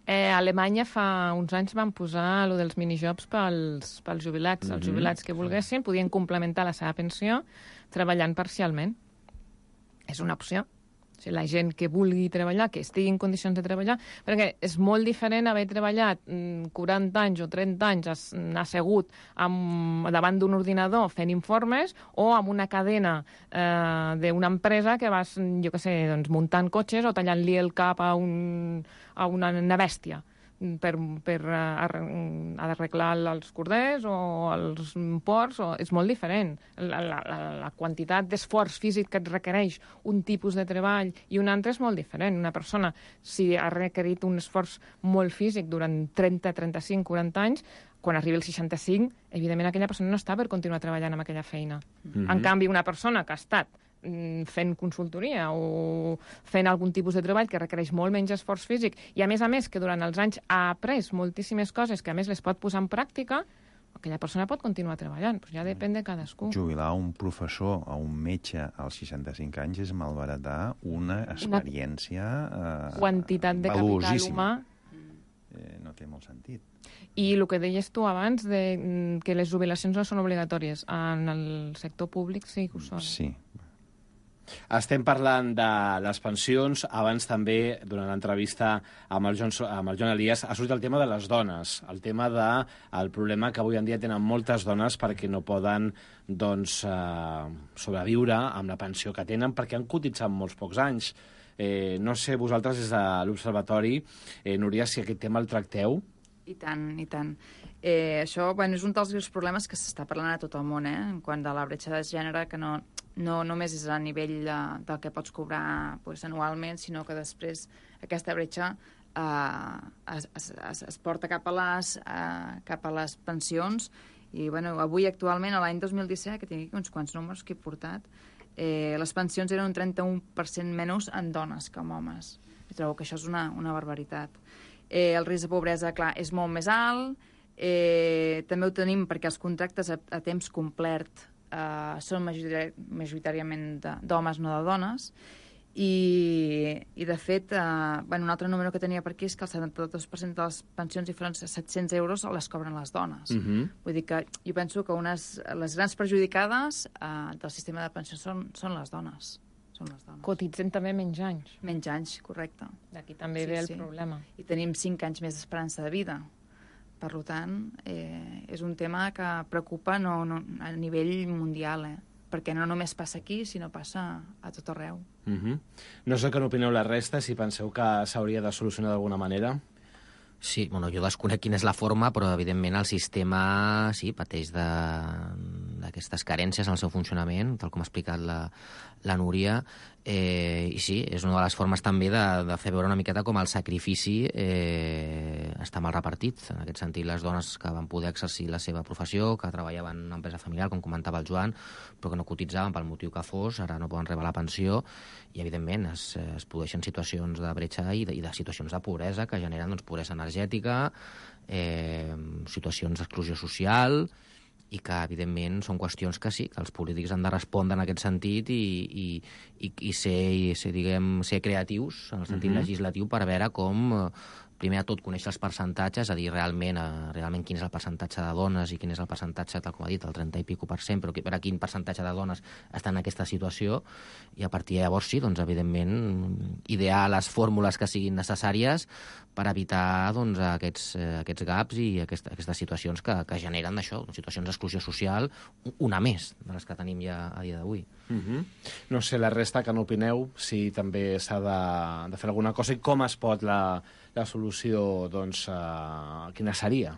Eh, a Alemanya fa uns anys van posar allò dels minijobs pels, pels jubilats. Mm-hmm. Els jubilats que volguessin podien complementar la seva pensió treballant parcialment. És una opció. O sigui, la gent que vulgui treballar, que estigui en condicions de treballar, perquè és molt diferent haver treballat quaranta anys o trenta anys assegut amb, davant d'un ordinador fent informes o amb una cadena eh, d'una empresa que vas, jo què sé, doncs, muntant cotxes o tallant-li el cap a, un, a una, una bèstia per, per arreglar els corders o els ports. O, és molt diferent. La, la, la quantitat d'esforç físic que et requereix un tipus de treball i un altre és molt diferent. Una persona, si ha requerit un esforç molt físic durant trenta, trenta-cinc, quaranta anys, quan arribi el seixanta-cinc, evidentment aquella persona no està per continuar treballant amb aquella feina. Mm-hmm. En canvi, una persona que ha estat fent consultoria o fent algun tipus de treball que requereix molt menys esforç físic i, a més a més, que durant els anys ha après moltíssimes coses que, a més, les pot posar en pràctica, aquella persona pot continuar treballant. Pues ja depèn de cadascú. Jubilar un professor o un metge als seixanta-cinc anys és malbaratar una experiència eh, quantitat de capital humà. Eh, no té molt sentit. I el que deies tu abans, de que les jubilacions no són obligatòries. En el sector públic sí que ho són. Sí. Estem parlant de les pensions. Abans també, durant l'entrevista amb el Joan, amb el Joan Elias, ha sortit el tema de les dones, el tema del de, problema que avui en dia tenen moltes dones perquè no poden doncs, eh, sobreviure amb la pensió que tenen perquè han cotitzat molts pocs anys. Eh, no sé, vosaltres des de l'Observatori, eh, Núria, si aquest tema el tracteu? I tant, i tant. Eh, això bueno, és un dels greus problemes que s'està parlant a tot el món, eh, en quant a la bretxa de gènere, que no, no només és a nivell de, del que pots cobrar pues, anualment, sinó que després aquesta bretxa eh, es, es, es porta cap a, les, eh, cap a les pensions. I bueno, avui, actualment, a l'any dos mil disset, que tinc aquí uns quants números que he portat, eh, les pensions eren un trenta-un per cent menys en dones que en homes. I trobo que això és una, una barbaritat. Eh, el risc de pobresa, clar, és molt més alt, Eh, també ho tenim perquè els contractes a, a temps complet eh, són majoritari, majoritàriament de- d'homes, no de dones, i, i de fet, eh, bueno, un altre número que tenia per aquí és que el setanta-dos per cent de les pensions diferents a set-cents euros les cobren les dones. Mhm. Vull dir que jo penso que unes, les grans perjudicades eh, del sistema de pensions són, són les dones. Són les dones. Cotitzen també menys anys. Menys anys, correcte. D'aquí també ve el problema. I tenim cinc anys més d'esperança de vida. Per tant, eh, és un tema que preocupa no, no, a nivell mundial, eh? Perquè no només passa aquí, sinó passa a tot arreu. Mhm. No sé què n'opineu la resta, si penseu que s'hauria de solucionar d'alguna manera. Sí, bueno, jo desconec quina és la forma, però evidentment el sistema sí, pateix d'aquestes carències en el seu funcionament, tal com ha explicat la, la Núria, eh, i sí, és una de les formes també de, de fer veure una miqueta com el sacrifici eh, està mal repartit. En aquest sentit, les dones que van poder exercir la seva professió, que treballaven en una empresa familiar, com comentava el Joan, però que no cotitzaven pel motiu que fos, ara no poden rebre la pensió, i evidentment es, es produeixen situacions de bretxa i de, i de situacions de pobresa que generen doncs, pobresa energètica, eh, situacions d'exclusió social, i que, evidentment, són qüestions que sí, que els polítics han de respondre en aquest sentit i, i, i, i, ser, i ser, diguem, ser creatius en el sentit Mhm. legislatiu per veure com, eh, primer de tot, conèixer els percentatges, a dir realment, eh, realment quin és el percentatge de dones i quin és el percentatge, tal com ha dit, el trenta i pico per cent, però per a quin percentatge de dones estan en aquesta situació, i a partir de llavors sí, doncs, evidentment, idear les fórmules que siguin necessàries per evitar doncs, aquests, eh, aquests gaps i aquest, aquestes situacions que, que generen això, situacions d'exclusió social, una més de les que tenim ja a dia d'avui. Mhm. No sé, la resta, que n'opineu, si també s'ha de, de fer alguna cosa i com es pot la, la solució, doncs, uh, quina seria?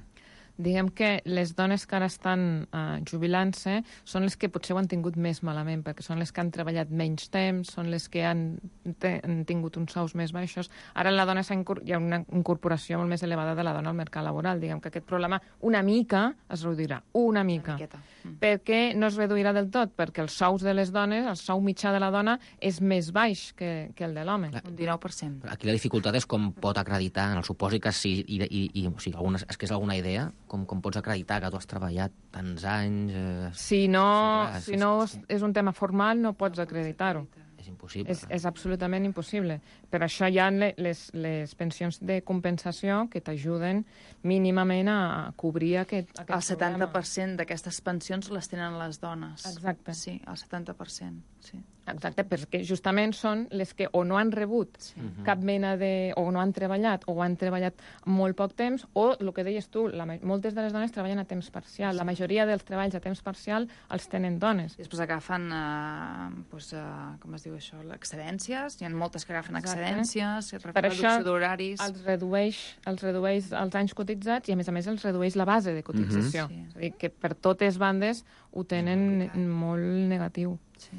Diguem que les dones que ara estan uh, jubilant-se són les que potser ho han tingut més malament, perquè són les que han treballat menys temps, són les que han, te, han tingut uns sous més baixos. Ara en la dona hi ha una incorporació molt més elevada de la dona al mercat laboral. Diguem que aquest problema una mica es reduirà, una mica. Una mm. Per què no es reduirà del tot? Perquè els sous de les dones, el sou mitjà de la dona, és més baix que, que el de l'home. Un dinou per cent. Aquí la dificultat és com pot acreditar, en el supòsit que sí, i, i, i o sigui, alguna, és que és alguna idea, com, com pots acreditar que tu has treballat tants anys... Eh, Si no, sí, clar, si és- no és, és un tema formal, no pots acreditar-ho. És impossible. És, és absolutament impossible. Per això hi ha le- les, les pensions de compensació que t'ajuden mínimament a cobrir aquest, aquest El setanta per cent d'aquestes pensions les tenen les dones. Exacte. Sí, el setanta per cent, sí. Exacte, perquè justament són les que o no han rebut sí. cap mena de... o no han treballat, o han treballat molt poc temps, o, el que deies tu, la, ma- moltes de les dones treballen a temps parcial. La majoria dels treballs a temps parcial els tenen dones. I després agafen, eh, doncs, eh, com es diu això, excedències. Hi ha moltes que agafen Exacte. excedències, Per reducció això d'horaris. els redueix, els redueix els anys cotitzats i, a més a més, els redueix la base de cotització. Mhm. Sí. És a dir, que per totes bandes ho tenen molt negatiu. Sí.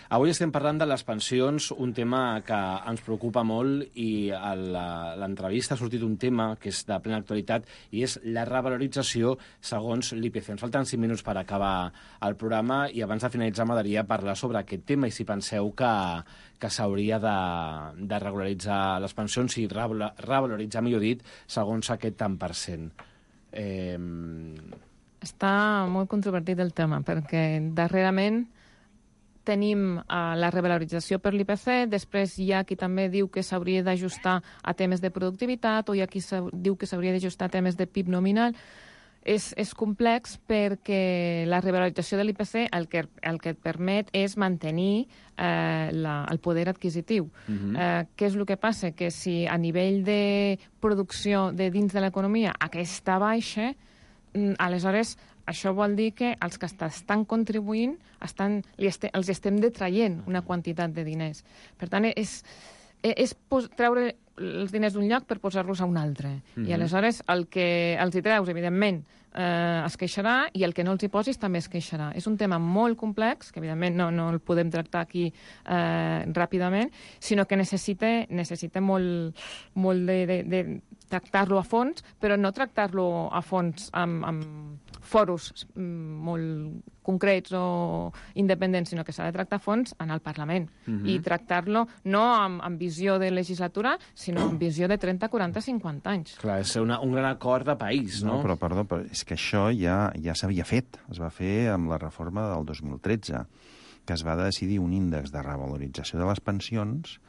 Avui estem parlant de les pensions, un tema que ens preocupa molt, i a la- l'entrevista ha sortit un tema que és de plena actualitat i és la revalorització segons l'I P C. Ens falten cinc minuts per acabar el programa i abans de finalitzar m'agradaria parlar sobre aquest tema i si penseu que, que s'hauria de, de regularitzar les pensions i revala- revaloritzar, millor dit, segons aquest tant per cent. Eh... Està molt controvertit el tema, perquè darrerament tenim uh, la revalorització per l'I P C, després hi ha qui també diu que s'hauria d'ajustar a temes de productivitat, o hi ha qui diu que s'hauria d'ajustar a temes de P I B nominal. És, és complex perquè la revalorització de l'I P C el que, el que et permet és mantenir eh, la, el poder adquisitiu. Mhm. eh, què és el que passa? Que si a nivell de producció de dins de l'economia aquesta baixa, mm, aleshores això vol dir que els que estan contribuint estan, li este, els estem detraient una quantitat de diners. Per tant, és, és pos, treure els diners d'un lloc per posar-los a un altre. Mhm. I aleshores el que els hi treus, evidentment, eh, es queixarà, i el que no els hi posis també es queixarà. És un tema molt complex, que evidentment no, no el podem tractar aquí eh, ràpidament, sinó que necessita, necessita molt, molt de, de, de tractar-lo a fons, però no tractar-lo a fons amb, amb foros molt concrets o independents, sinó que s'ha de tractar a fons en el Parlament. Mhm. I tractar-lo no amb, amb visió de legislatura, sinó amb visió de trenta, quaranta, cinquanta anys. Clar, és una, un gran acord de país, no? No, però, perdó, però és que això ja, ja s'havia fet. Es va fer amb la reforma del dos mil tretze, que es va decidir un índex de revalorització de les pensions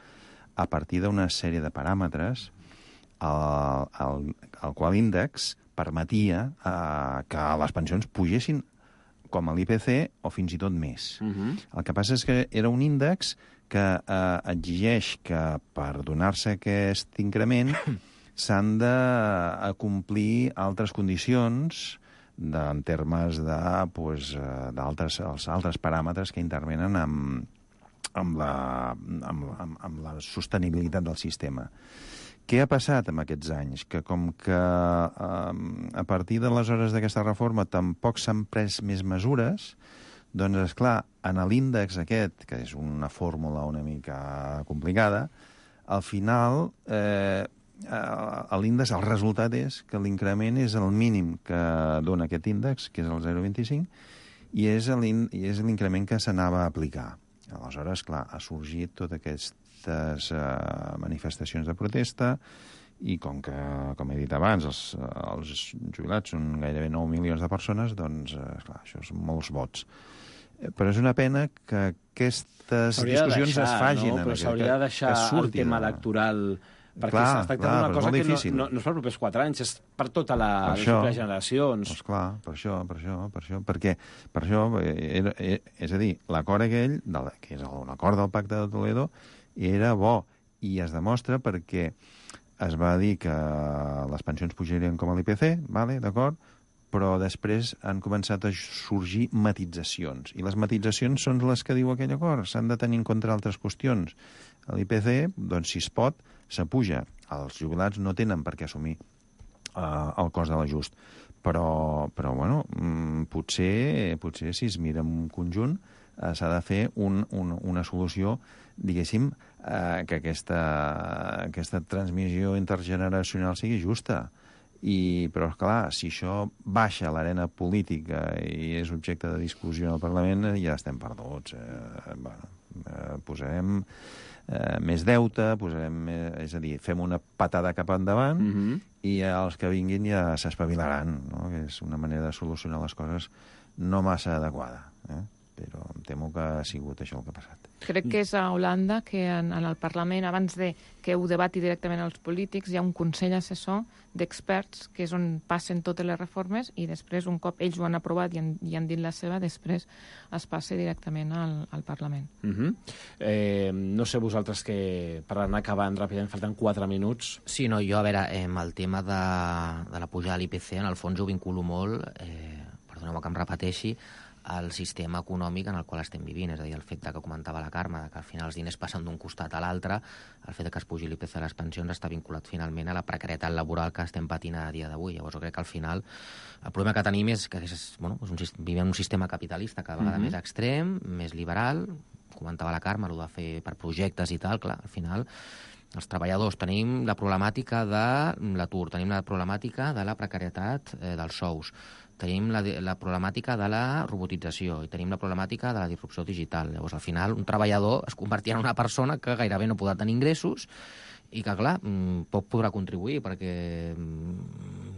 a partir d'una sèrie de paràmetres el, el, el qual índex permetia eh, que les pensions pugessin com a l'I P C o fins i tot més. Mhm. El que passa és que era un índex que eh, exigeix que per donar-se aquest increment s'han de complir altres condicions de, en termes de, pues, d'altres els altres paràmetres que intervenen amb, amb, la, amb, amb, amb la sostenibilitat del sistema. Què ha passat en aquests anys? Que com que eh, a partir d'aleshores d'aquesta reforma tampoc s'han pres més mesures, doncs, esclar, en l'índex aquest, que és una fórmula una mica complicada, al final eh, l'índex, el resultat és que l'increment és el mínim que dona aquest índex, que és el zero coma vint-i-cinc, i és l'increment que s'anava a aplicar. Aleshores, clar, ha sorgit tota aquestes uh, manifestacions de protesta i com que, com he dit abans, els, els jubilats són gairebé nou milions de persones, doncs, uh, clar, això són molts vots. Però és una pena que aquestes discussions de deixar, es fagin. No? Però s'hauria de deixar el tema electoral, perquè clar, es tracta clar, d'una cosa que difícil. no, no, no és per els propers quatre anys, és per tota la, per les això, properes generacions. Doncs clar, per això, per això, per això, perquè, per això, era, era, és a dir, l'acord aquell, del, que és l'acord del Pacte de Toledo, era bo, i es demostra perquè es va dir que les pensions pujarien com a l'I P C, vale, d'acord, però després han començat a sorgir matitzacions. I les matitzacions són les que diu aquell acord. S'han de tenir en compte altres qüestions. L'I P C, doncs, si es pot, s'apuja. Els jubilats no tenen per què assumir uh, el cost de l'ajust. Però, però bueno, potser, potser si es mira en un conjunt uh, s'ha de fer un, un, una solució, diguéssim, uh, que aquesta, aquesta transmissió intergeneracional sigui justa. I, però, clar, si això baixa a l'arena política i és objecte de discussió al Parlament, ja estem perduts. Eh, bueno, eh, posarem eh, més deute, posarem més, és a dir, fem una patada cap endavant mm-hmm. i els que vinguin ja s'espavilaran, no? Que és una manera de solucionar les coses no massa adequada, eh? Però em temo que ha sigut això el que ha passat. Crec que és a Holanda que en, en el Parlament, abans de que ho debati directament els polítics, hi ha un consell assessor d'experts que és on passen totes les reformes i després, un cop ells ho han aprovat i han, i han dit la seva, després es passa directament al, al Parlament. Uh-huh. eh, no sé vosaltres que, per anar acabant ràpidament, falten quatre minuts. Sí, no, jo, a veure, eh, amb el tema de, de la pujada de l'I P C, en el fons ho vinculo molt, eh, perdoneu que em repeteixi, el sistema econòmic en el qual estem vivint, és a dir, el fet que comentava la Carme, que al final els diners passen d'un costat a l'altre, el fet que es pugi l'I P C a les pensions està vinculat finalment a la precarietat laboral que estem patint a dia d'avui. Llavors jo crec que al final el problema que tenim és que és, bueno, és un, vivim en un sistema capitalista cada vegada mm-hmm. més extrem, més liberal, comentava la Carme, el de fer per projectes i tal, clar, al final els treballadors tenim la problemàtica de l'atur, tenim la problemàtica de la precarietat eh, dels sous, tenim la, la problemàtica de la robotització i tenim la problemàtica de la disrupció digital. Llavors, al final, un treballador es convertirà en una persona que gairebé no podrà tenir ingressos i que, clar, poc podrà contribuir perquè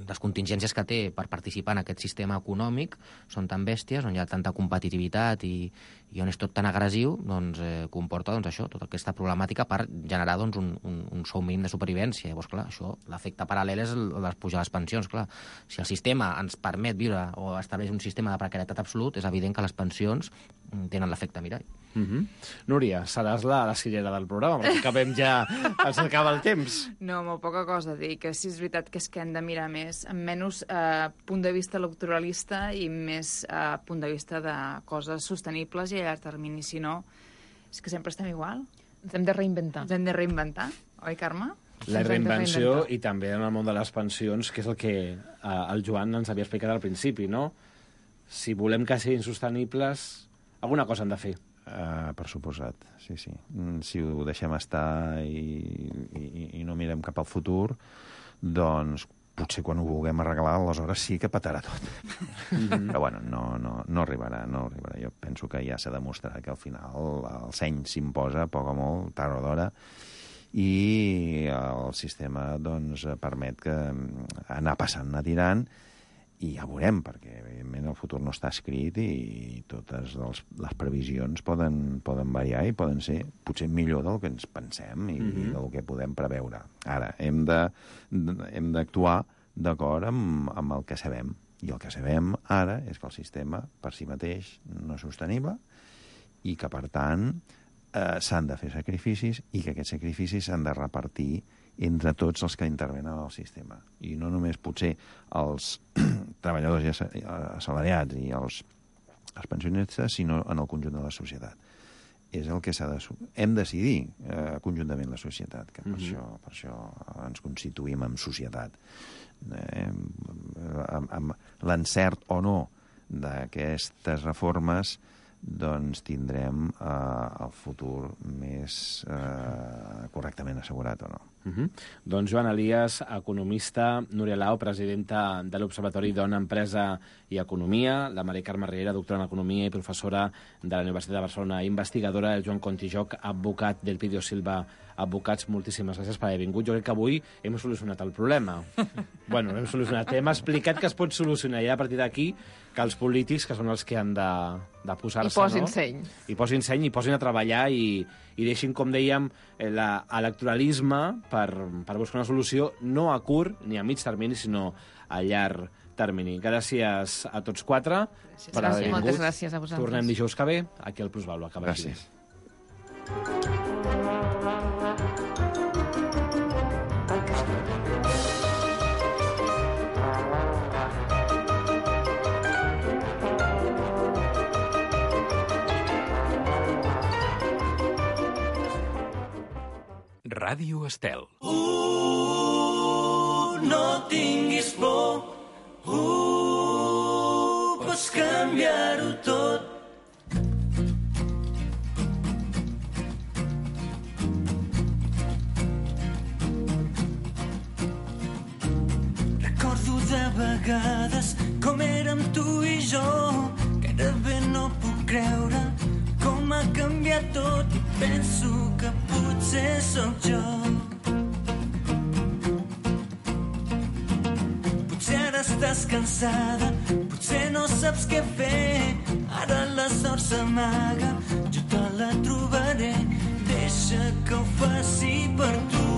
les contingències que té per participar en aquest sistema econòmic són tan bèsties, on hi ha tanta competitivitat i, i on és tot tan agressiu, doncs eh, comporta doncs, això, tota aquesta problemàtica per generar doncs, un, un, un sou mínim de supervivència. Llavors, clar, això, l'efecte paral·lel és el de pujar les pensions, clar. Si el sistema ens permet viure o estableix un sistema de precarietat absolut, és evident que les pensions tenen l'efecte mirall. Mm-hmm. Núria, seràs la, la sillera del programa, perquè acabem ja, ens acaba el temps. No, molt poca cosa a dir, que sí és veritat que és que hem de mirar més, amb menys eh, punt de vista electoralista i més eh, punt de vista de coses sostenibles i a llarg termini, si no, és que sempre estem igual. Ens hem de reinventar. Ens hem de reinventar, oi, Carme? La reinvenció i també en el món de les pensions, que és el que eh, el Joan ens havia explicat al principi, no? Si volem que siguin sostenibles, alguna cosa han de fer. Uh, per suposat, sí, sí. Si ho deixem estar i, i, i no mirem cap al futur, doncs potser quan ho vulguem arreglar, aleshores sí que petarà tot. Mm-hmm. Però, bueno, no, no, no arribarà, no arribarà. Jo penso que ja s'ha demostrat que al final el seny s'imposa, a poc o molt, tard o d'hora, i el sistema doncs, permet que anar passant, anar tirant, i ja veurem, perquè evidentment el futur no està escrit i totes les, les previsions poden, poden variar i poden ser potser millor del que ens pensem i mm-hmm. del que podem preveure. Ara, hem de, hem d'actuar d'acord amb, amb el que sabem. I el que sabem ara és que el sistema per si mateix no és sostenible i que, per tant, eh, s'han de fer sacrificis i que aquests sacrificis s'han de repartir entre tots els que intervenen al sistema. I no només potser els treballadors i assalariats i els, els pensionistes, sinó en el conjunt de la societat. És el que s'ha de... Hem de decidir eh, conjuntament la societat, que per, mm-hmm. això, per això ens constituïm en societat. Eh, amb, amb l'encert o no d'aquestes reformes doncs tindrem eh, el futur més eh, correctament assegurat o no. Uh-huh. Doncs Joan Elias, economista, Núria Lau, presidenta de l'Observatori Dona, Empresa i Economia, la Mari Carme Riera, doctora en Economia i professora de la Universitat de Barcelona, investigadora, el Joan Contijoc, advocat del Pidio Silva Advocats. Moltíssimes gràcies per haver vingut. Jo crec que avui hem solucionat el problema. Bueno, hem solucionat. Hem explicat que es pot solucionar i a partir d'aquí que els polítics, que són els que han de, de posar-se... I posin no? seny. I posin seny, i posin a treballar i, i deixin, com dèiem, l'electoralisme per, per buscar una solució no a curt ni a mig termini, sinó a llarg termini. Gràcies a tots quatre gràcies. per haver vingut. Moltes gràcies a vosaltres. Tornem dijous que ve, aquí al Plusvalua. Que vagi bé. Ràdio Estel. Uh, no tinguis por, uh, pots canviar-ho tot. Recordo de vegades com érem tu i jo, que ara bé no puc creure com ha canviat tot i penso que potser sóc jo. Potser ara estàs cansada, potser no saps què fer, ara la sort s'amaga, jo te la trobaré, deixa que ho faci per tu.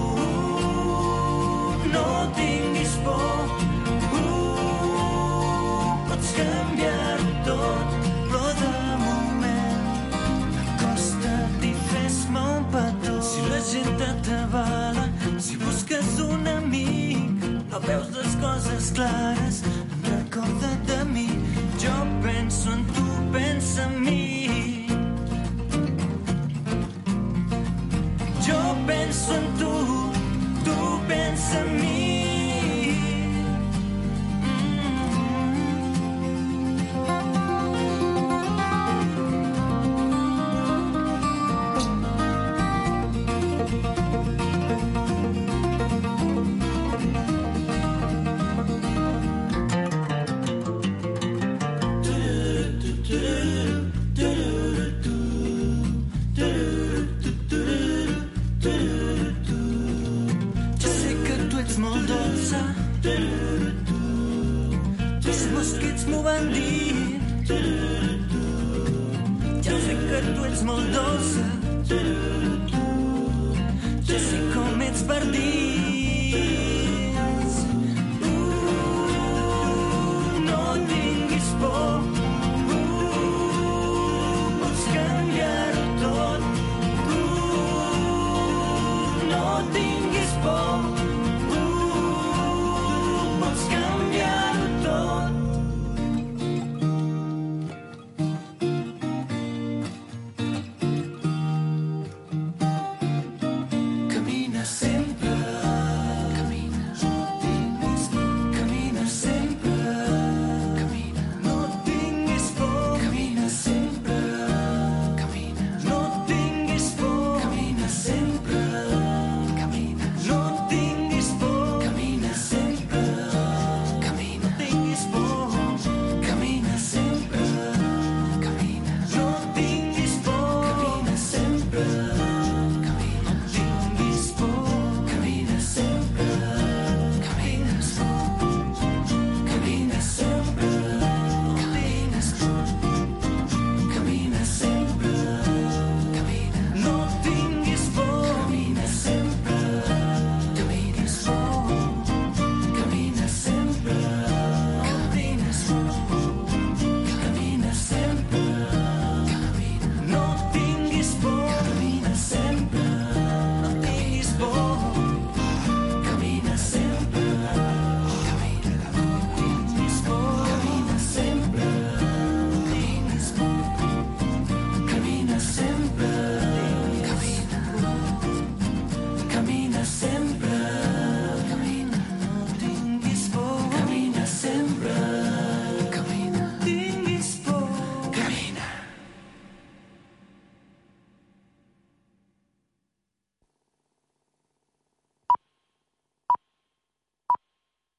No tinguis por, uh, pots canviar-ho tot, però de la gent t'atabala, si busques un amic, no veus les coses clares, recorda't de mi, jo penso en tu, pensa en mi. Jo penso en tu, tu pensa en mi. Ja sé que tu ets molt dolça,